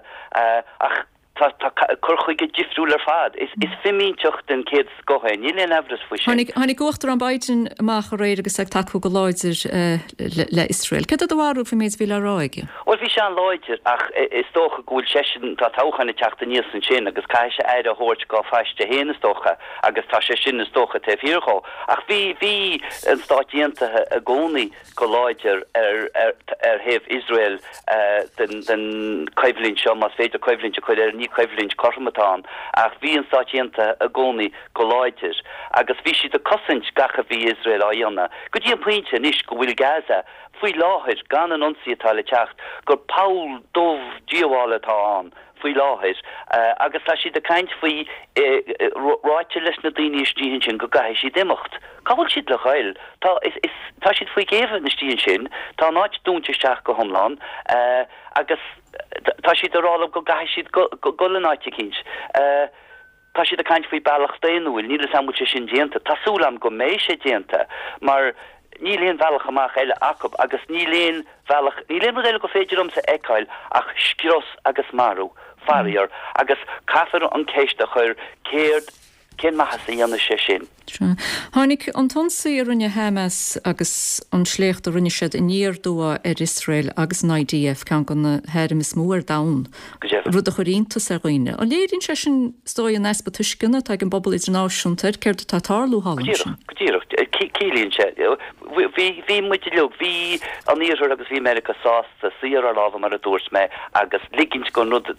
ach tá tá cur chuige difriúil ar fad. Is is fimínteacht den chéad scoth é, níl aon amhras faoi sin. Tháinig tháinig Uachtarán Biden amach aréir agus é ag tacú go láidir le le Iosrael. Céard é do bharúil faoin méid a bhí le rá aige? Bhuel, bhí sé an-láidir, ach is dócha go bhfuil seisean, tá toghchán ag teacht aníos ansin agus caithfidh sé aire a thabhairt dhá phaiste féin, is dócha, agus tá sé sin, is dócha, taobh thiar dhó. Ach bhí, bhí an Stáit Aontaithe i gcónaí go láidir ar, ar, ar thaobh Iosrael den, den choimhlint seo, más féidir coimhlint a chur air, ní coimhlint cothrom atá ann, ach bhí an Stáit Aontaithe i gcónaí go láidir agus bhí siad ag cosaint gach a bhí Iosrael á dhéanamh, go dtí an pointe anois go bhfuil Gaza, faoi láthair, gan an ionsaí atá le teacht, gur poll dubh díobhála atá ann faoi láthair agus tá siad ag caint faoi, ráite leis na daoine istigh ansin go gcaithfidh siad imeacht. Cá bhfuil siad le ghoil? Tá, is, is, tá siad faoi ghéibheann istigh ansin, tá an áit dúnta isteach go hiomlán agus tá siad ag rá leo go gcaithfidh siad goil in áit eicínt. Tá siad ag caint faoi bealach daonnúil, níl 'fhios a'm bhfuil sé sin déanta. Tá súil a'm go mbeidh sé déanta mar níl aon bhealach amach eile acu agus níl aon bhealach, níl aon rud eile gur féidir liomsa a fheiceáil ach scrios agus marú, faraor, agus caithfear an ceist a chur céard, cén maitheas a dhéanfaidh sé sin? Sea. Tháinig an t-ionsaí a rinne Hamas agus an sléacht a rinne siad aniar aduaidh ar Iosrael agus an IDF, ceann de na hairm is mó ar domhan, rud a chuir iontas ar dhaoine. An léiríonn sé sin, is dóigh, an easpa tuisceana atá ag an bpobal idirnáisiúnta ar céard atá ag tarlú thall ansin? Go díreach, go díreach. Ciallaíonn sé. Bhí, bhí muid uilig, bhí an Iarthar agus bhí Meiriceá sásta suí ar ár lámha, mar a dúirt mé, agus ligint don rud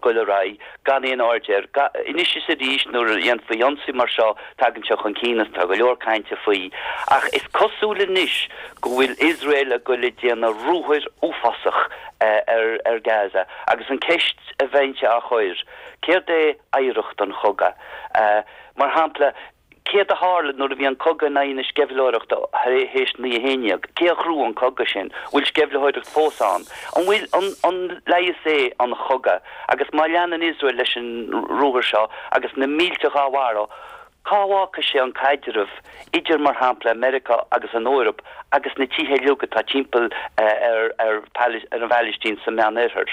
goil ar aghaidh. gan aon aird air. Anois is arís nuair a dhéanfaí ionsaí mar seo tagann sé chun cinn agus tá go leor cainte faoi. Ach is cosúil anois go bhfuil Iosrael ag goil ag déanamh ruathair uafásach ar Gaza agus an ceist a bheinnse á chur, céard é oidhreacht an chogaidh? Mar shampla. Céard a tharla nuair a bhí an cogadh in aghaidh na sceimhlitheoireachta théis 9/11? Cé a ghnóthaigh an cogadh sin? Bhfuil sceimhlitheoireacht fós ann? An bhfuil, an, an leigheas é an chogadh? Agus má leanann Iosrael leis an ruathar seo agus na mílte dhá mharú, cá bhfágfaidh sé an caidreamh idir, mar shampla, Meiriceá agus an Eoraip agus na tíortha uilig atá timpeall ar, ar, ar an bPailistín sa Meánoirthear?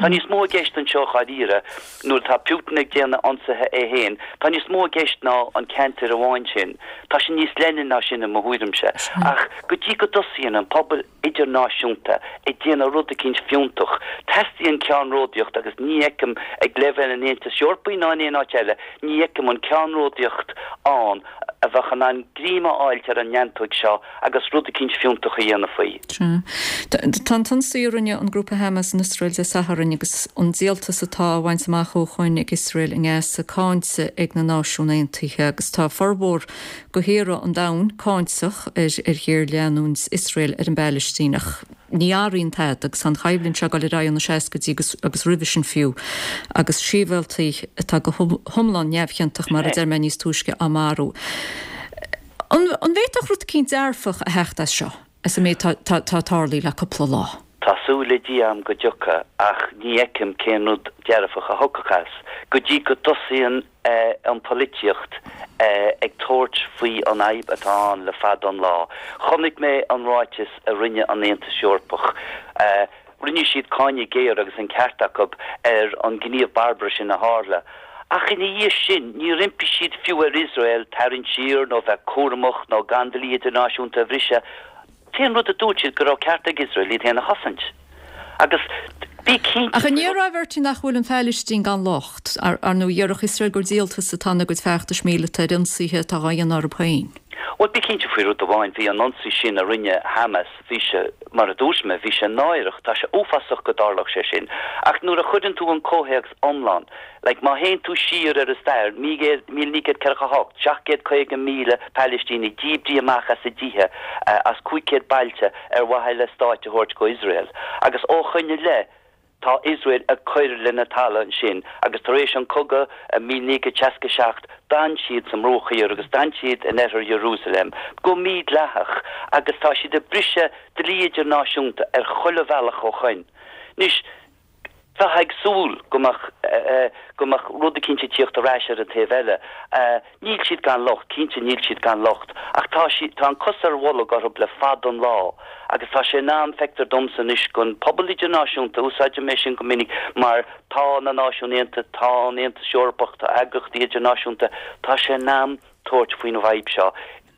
Tá níos mó i gceist anseo dháiríre. Nuair atá Putin ag déanamh ionsaithe é féin, tá níos mó i gceist ná an ceantar amháin sin. Tá sé níos leithne ná sin i mo thuairimse. Ach go dtí go dtosaíonn an pobal idirnáisiúnta ag déanamh rud eicínt fiúntach, teastaíonn ceannródaíocht agus ní fheicim ag leibhéal an Aontais Eorpaigh ná in aon áit eile, ní fheicim an ceannródaíocht ann a bheadh in ann greim a fháilt ar an neantóig seo agus rud eicínt fiúntach a dhéanamh faoi. Sea. Tá an t-ionsaí a rinne an grúpa Hamas in Iosrael Dé Sathairn agus an díoltas atá á bhaint amach ó shoin ag Iosrael i nGaza cáinte ag na Náisiúin Aontaithe agus tá formhór de thíortha an domhain cáinteach ar ghéarleanúint Iosrael ar an bPailistín ach ní athraíonn tada agus tá an choimhlint seo ag dul ar aghaidh ó na seascaidí agus roimhe sin fiú agus sibhialtaigh atá go hiomlán neamhchiontach mar a deir mé níos túisce á marú. An bhféadfadh rud eicínt dearfach a theacht as seo, as an méid atá tarlaithe le cúpla lá? Tá súil le Dia agam go dtiocfaidh ach ní fheicim cén rud dearfach a thiocfadh as go dtí go dtosaíonn an pholaitíocht ag tabhairt faoi an fhadhb atá ann le fada an lá. Chonaic mé an ráiteas a rinne an Aontas Eorpach. Rinne siad cáineadh géar, agus an ceart acu, ar an gníomh barbartha sin a tharla. Ach ina dhiaidh sin, níor impigh siad fiú ar Iosrael tarraingt siar nó bheith cúramach nó gan dlí idirnáisiúnta a bhriseadh. T-aon rud a dúirt siad go raibh ceart ag Iosrael iad féin a chosaint. Agus bí cinnte Ach an ndéarfá, a Bhertie, nach bhfuil an Phailistín gan locht? Ar ndóigh, dhéarfadh Iosrael gur díoltas atá ina gcuid feachtais míleata ar ionsaithe atá á dhéanamh orthu féin. Bhuel, bí cinnte faoi rud amháin, bhí an ionsaí sin a rinne Hamas, bhí sé, mar a dúirt mé, bhí sé náireach, tá sé uafásach go dtarlódh sé sin. Ach nuair a chuireann tú an comhthéacs iomlán, like má théann tú siar ar an stair, 1948, 750,000 Palaistínigh díbrithe amach as a dtithe, as 500 bailte ar mhaithe le stáit a thabhairt go Iosrael. Agus ó shoin i leith, Tá Iosrael ag cur lena talamh ansin agus tar éis an cogadh i 1967 d'fhan siad sa mBruach Thiar agus d'fhan siad in oirthear Iarúsailéim go mídhleathach agus tá siad ag briseadh dlí idirnáisiúnta ar chuile bhealach ó shoin. Anois, bheifeá ag súil go mbeadh go mbeadh rud eicínt ag tíocht ar ais ar an taobh eile. Níl siad gan locht, cinnte níl siad gan locht, ach tá siad, tá an cos ar bholg orthu le fada an lá agus tá sé in am, feictear domsa anois, don pobal idirnáisiúnta, úsáidim é sin go minic mar tá na Náisiúin Aontaithe, tá an Aontas Eorpach, tá eagraíochtaí idirnáisiúnta, tá sé in am tabhairt faoin bhfadhb seo.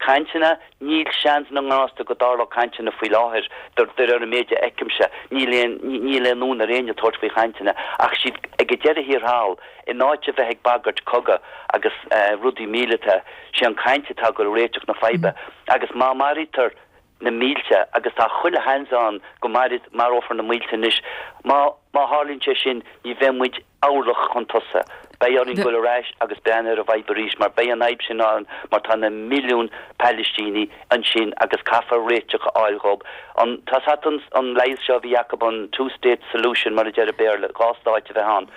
Cainteanna, níl seans na ngrásta go dtarlódh cainteanna faoi láthair, de réir an méid a fheicimse, níl aon, níl aon fhonn ar éinne tabhairt faoi chainteanna ach siad ag an deireadh thiar thall, in áit a bheith ag bagairt cogadh agus rudaí míleata, sé an caint atá ag dul a réiteach na faidhbe agus má maraítear na mílte, agus tá chuile sheans ann go marófar na mílte anois, má má tharlaíonn sé sin ní bheidh muid orlach chun tosaigh. Beidh orainn dul ar ais agus breathnú ar an bhfadhb arís mar beidh an fhadhb sin ann mar tá na milliúin Palaistínigh ansin agus caithfear réiteach a fháil dhób. An, tá 's a't an, an leigheas seo a bhí acu, an two state solution mar a deir an Béarla, dhá stáit a bheith ann.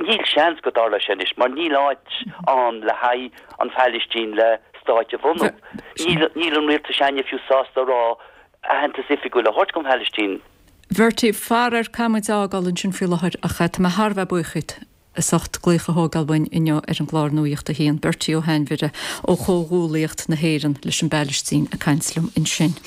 Níl seans go dtarlóidh sé anois mar níl áit ann le haghaidh an Phailistín le stáit a bhunú. Níl, níl an rialtas s'againne fiú sásta a rá aitheantas oifigiúil a thabhairt don Phailistín. Bhertie, faraor caithfidh muid é a fhágáil ansin faoi láthair ach tá mé thar a bheith buíoch díot as ucht glaoch a thógáil uainn inniu ar an gclár Nuacht a hAon. Bertie Ó hAinmhire ó Chomhghuallaíocht na hÉireann leis an bPailistín ag caint liom ansin.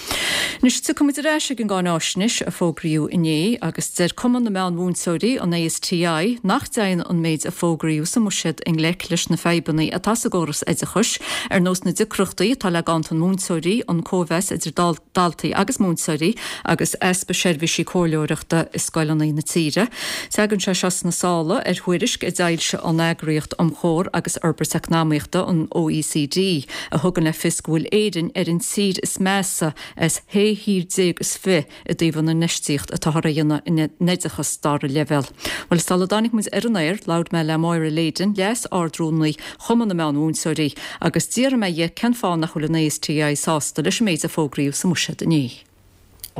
Anois tiocfaidh muid ar ais ag an gcáináisnéis a fógraíodh inné agus deir Cumann na Meán-Mhúinteoirí, an ASTI, nach dtéann an méid a fógraíodh sa mbuiséad i ngleic leis na fadhbanna atá sa gcóras oideachais, ar nós na deacrachtaí atá le ganntan múinteoirí, an cóimheas idir daltaí agus múinteoirí agus easpa seirbhísí comhairleoireachta i scoileanna na tíre. Tagann sé seo sna sála ar thuairisc a d'fhoilsigh an Eagraíocht um Chomhar agus Fhorbairt Eacnamaíochta, an OECD, a thugann le fios go bhfuil Éirinn ar an tír is measa as shé thír déag is fi i dtaobh an infheistíocht atáthar a dhéanamh in oideachas dara leibhéal. Bhuel, sula dtáinig muid ar an aer, labhair mé le Máire Leyden, Leas-Ard-Rúnaí Chumann na Meán-Mhúinteoirí, agus d'fhiafraigh mé dhi cén fáth nach bhfuil an ASTI sásta leis an méid a fógraíodh sa mbuiséad inné.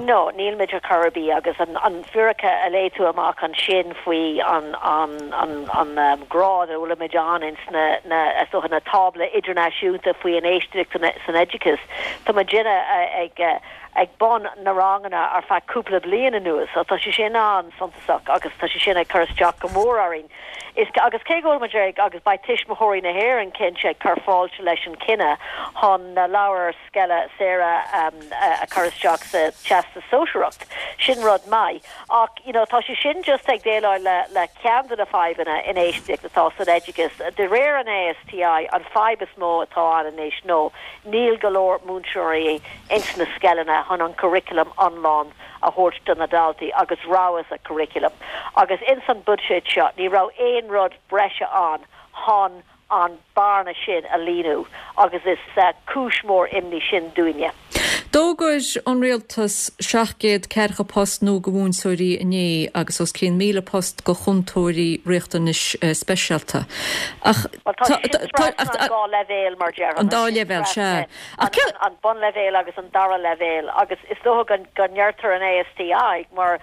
No, nílmid ar chor ar bith agus an fíric a léigh tú amach ansin faoi an an grád a bhfuilimid ann ins na na is dócha na tábla idirnáisiúnta faoi infheistíocht san oideachas, tá muidinne ag ag bun na ranganna ar feadh cúpla bliain anuas so tá sé sin an-suntasach agus tá sé sin ag cur isteach go mór orainn. Is agus cé go bhfuil muid ag agus beidh Tuismitheoirí na hÉireann cinnte ag cur fáilte leis an cinneadh chun na leabhair scoile saora a chur isteach sa Teastas Sóisearach. Sin rud maith. Ach, you know, tá sé sin just ag déileáil le, le ceann de na fadhbanna infheistíocht atá san oideachas. De réir an ASTI, an fadhb is mó atá ann anois nó níl go leor múinteoirí ins na scoileanna chun an curriculum iomlán a thabhairt do na daltaí agus rogha sa curriculum. Agus ins an buiséad seo ní raibh aon rud breise ann chun an bearna sin a líonadh agus is cúis mhór imní sin dúinne. D'fhógair an Rialtas 740 post nua do mhúinteoirí inné agus os cionn 1,000 post do chúntóirí riachtanais speisialta. Ach Bhuel, tá sé sin trasna an dá leibhéal, mar déarfainn. An dá leibhéal, sea. Ach an bunleibhéal agus an dara leibhéal agus is dócha go ndeirtear an ASTI mar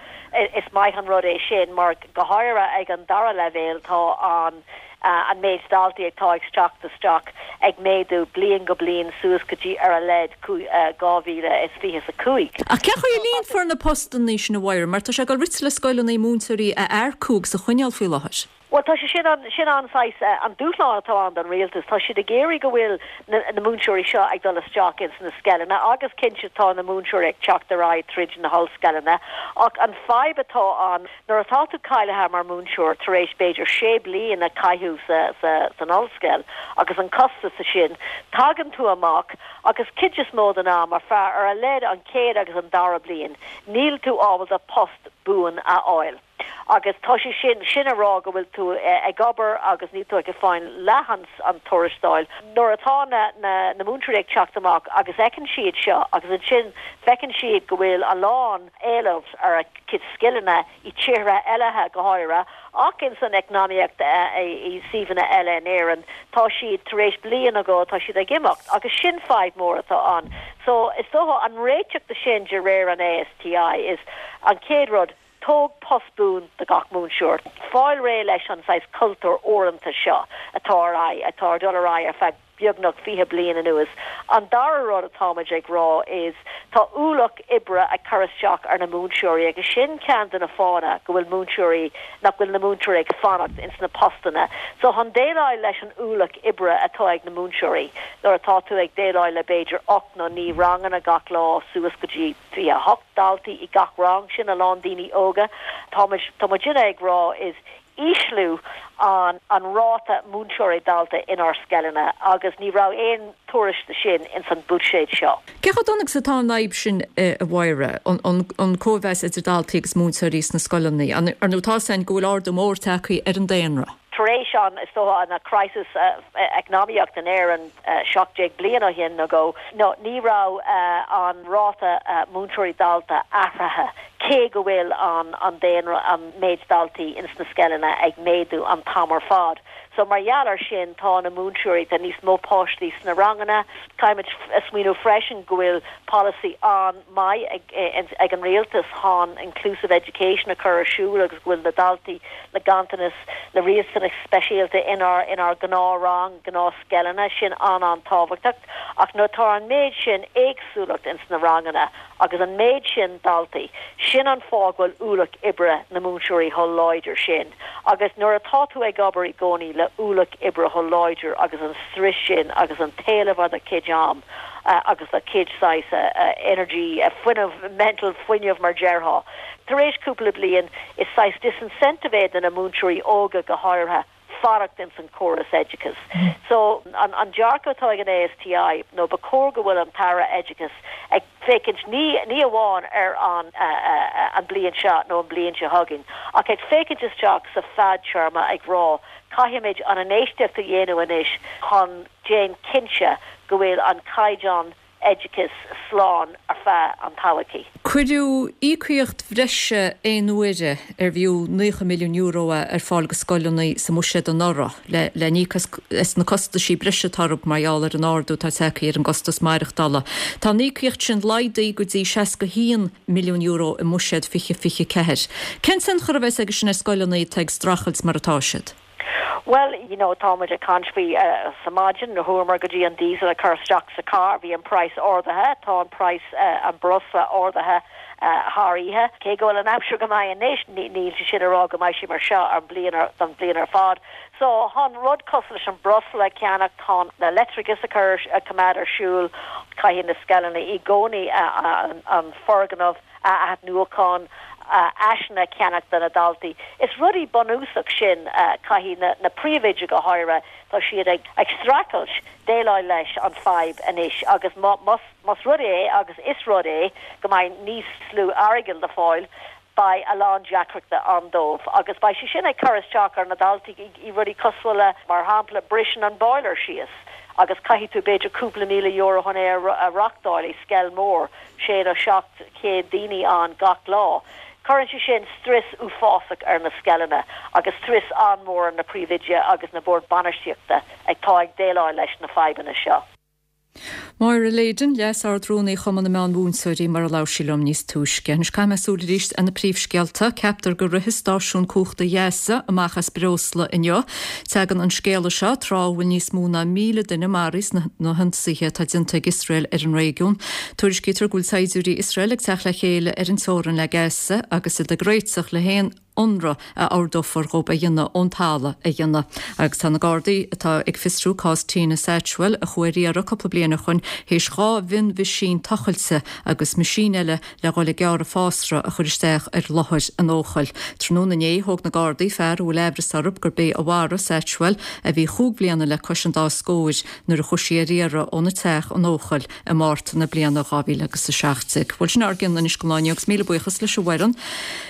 is maith an rud é sin mar go háirithe ag an dara leibhéal tá an an méid daltaí atá ag teacht isteach ag méadú bliain go bliain suas go dtí ar a laghad 2025. Ach cén chaoi a líonfar na postanna sin, a Mháire, mar tá sé ag dul rite le scoileanna múinteoirí a earcú agus a choinneáil faoi láthair? Bhuel, tá sé sin an, sin an saghas, an dúshlán atá ann don rialtas. Tá siad ag iarraidh go bhfuil na, na múinteoirí seo ag dul isteach ins na scoileanna agus cinnte tá na múinteoirí ag teacht ar aghaidh tríd na hollscoileanna ach an fadhb atá ann, Nuair atá tú cáilithe mar múinteoir tar éis b'fhéidir sé bliain a caitheamh san ollscoil agus an costas sin, tagann tú amach agus cuid is mó den am ar feadh ar a laghad an chéad agus an dara bliain níl tú ábalta post buan a fháil. Agus tá sé sin, sin a rá go bhfuil tú ag obair agus níl tú ag fáil leath an tuarastail. Nuair atá na na múinteoirí ag teacht amach agus fheiceann siad seo agus ansin feiceann siad go bhfuil a lán éileamh ar a gcuid scileanna i tíortha eile go háirithe, ach ins an eacnamaíocht i suíomhanna eile in Éirinn, tá siad tar éis bliain nó dhó, tá siad ag imeacht agus sin fadhb mór atá ann. So, is dócha an réiteach de sin de réir an ASTI is an chéad rud, tóg post buan do gach múinteoir, fáil réidh leis an saghas cultúr uaireanta seo atá ar aghaidh, atá ag dul ar aghaidh ar feadh beagnach 20 bliain anuas. An dara rud atáimid ag rá is tá ualach oibre ag cur isteach ar na múinteoirí agus sin ceann de na fáthanna go bhfuil múinteoirí, nach bhfuil na múinteoirí ag fanacht ins na postanna. So chun déileáil leis an ualach oibre atá ag na múinteoirí nuair atá tú ag déileáil le b'fhéidir 8 nó 9 ranganna gach lá suas go dtí 28 daltaí i gach rang, sin a lán daoine óga, táimid, tá muidinne ag rá is ísliú an an ráta múinteoirí dalta inár scoileanna agus ní raibh aon tuairisc de sin ins an buiséad seo. Cé chomh dona agus atá an fhadhb sin, a Mháire, an cóimheas idir daltaí agus múinteoirí sna scoileanna? Ar ndóigh tá a fhios againn go bhfuil ardú mór tagtha ar an daonra. Tar éis an, is dócha, an crisis eacnamaíocht in Éirinn 17 bliain ó shin nó dhó, nó ní raibh an ráta múinteoirí dalta athraithe cé go bhfuil an an daonra, an méid daltaí ins na scoileanna ag méadú an t-am ar fad. So mar gheall ar sin tá na múinteoirí, tá níos mó páistí sna ranganna. Caithfimid smaoineamh freisin go bhfuil polasaí an-maith ag ag an rialtas chun inclusive education a chur ar siúl agus go bhfuil na daltaí le ganntanas, le riachtanais speisialta inár inár gnáth-rang, gnáth-scoileanna, sin an-an-tábhachtach. Ach nuair atá an méid sin éagsúlacht ins na ranganna, Agus an méid sin daltaí, sin an fáth go bhfuil ualach oibre na múinteoirí chomh láidir sin. Agus nuair atá tú ag obair i gcónaí le ualach oibre chomh láidir agus an struis sin agus an t-éileamh ar do chuid am agus do chuid saghas energy, fuinneamh, mental fuinneamh mar déarfá, tar éis cúpla bliain, is saghas disincentive é do na múinteoirí óga go háirithe. fanacht ins an córas oideachais. So, an an dearcadh atá ag an ASTI nó ba chóir go bhfuil an tAire Oideachais ag féachaint ní ní amháin ar an an bliain seo nó an bliain seo chugainn ach ag féachaint isteach sa fadtéarma ag rá caithfimid an infheistíocht a dhéanamh anois chun déan cinnte go bhfuil an caighdeán. oideachais slán ar feadh an todhchaí. Cuireadh íocaíocht bhreise aon uaire ar bhfiú €90 milliún é ar fáil go scoileanna sa mbuiséad anuraidh le le n-íoc as na costaisí breise atá orthu mar gheall ar an ardú atá tagtha ar an gcostas maireachtála. Tá an íocaíocht sin laghdaithe go dtí €61 milliún i mbuiséad 2024. Cén tionchar a bheas aige sin ar scoileanna atá ag streachailt mar atá siad? Bhuel, you know, tá muid ag caint faoi sa maidin, nuair chuamar go dtí an diesel a chur isteach sa carr, bhí an praghas ardaithe, tá an praghas, an breosla ardaithe thar oíche. Cé go bhfuil an aimsir go maith anois, níl sé sin ag rá go mbeidh sé mar seo an bliain ar, don bhliain ar fad. So, chun rud cosúil leis an breosla a cheannach, chun na leictreachas a chur, a choimeád ar siúl, caithfidh na scoileanna i gcónaí an foirgneamh, a athnuachan, áiseanna a cheannach do na daltaí. Is rudaí bunúsach sin, caithfidh na príomhoidí go háirithe, tá siad ag streachailt déileáil leis an fadhb anois agus más rud é, agus is rud é, go mbeidh níos lú airgid le fáil, beidh a lán deacrachta ann dóibh agus beidh sé sin ag cur isteach ar na daltaí i rudaí cosúil le, mar shampla, briseann an boiler síos agus caithfidh tú b'fhéidir cúpla €1,000 chun é a reachtáil i scoil mór. 6 nó 700 daoine ann gach lá. Cuireann sé sin strus uafásach ar na scoileanna agus strus an-mhór ar na príomhoidí agus na boird bainistíochta atá ag déileáil leis na fadhbanna seo. Máire Leyden, Leas-Ard-Rúnaí Chumann na Meán-Mhúinteoirí, mar a labhair sí liom níos túisce. Anois caithfidh mé súil arís ar na príomhscéalta. Ceaptar go rithfidh stáisiún cumhachta Ghaza amach as breosla inniu. Tagann an scéala seo tráth a bhfuil níos mó ná 1,000 duine maraithe sna hionsaithe atá déanta ag Iosrael ar an réigiún. Tuairiscítear go bhfuil saighdiúirí Iosrael ag teacht le chéile ar an teorainn le Gaza agus iad ag réiteach le haon ionradh a ordófar dhóibh a dhéanamh ón talamh a dhéanamh. Agus tá na Gardaí atá ag fiosrú cás Tina Satchwell, a chuaigh ar iarraidh cúpla bliain ó shoin théis 2 mhionmheaisín tochailte agus meaisín eile le dhul ag gearradh fásra a chur isteach ar láthair an fheochail. Tráthnóna inné, thóg na Gardaí fear a bhfuil aimhreas orthu gurb é a mharaigh Satchwell, a bhí chúig bhliana le cois an dá scóir, nuair a chuaigh sí ar iarraidh óna teach an Eochaill i Márta na bliana 2017. Bhuel, sin ár gcionn anois don lá inniu agus míle buíochas leis an bhfoireann,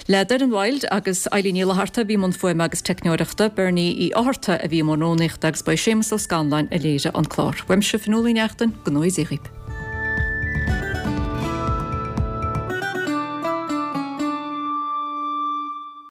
le Doireann Wilde agus Eilín Ní Fhlatharta a bhí i mbun fuaime agus teicneoireachta, Bernie Uí Fhátharta a bhí i mbun rúnaíochta agus ba é Séamus Ó Scanláin a léirigh an clár. Uaimse, Fionnuala Uí Neachtain, go ngnóthaí Dia dhaoibh.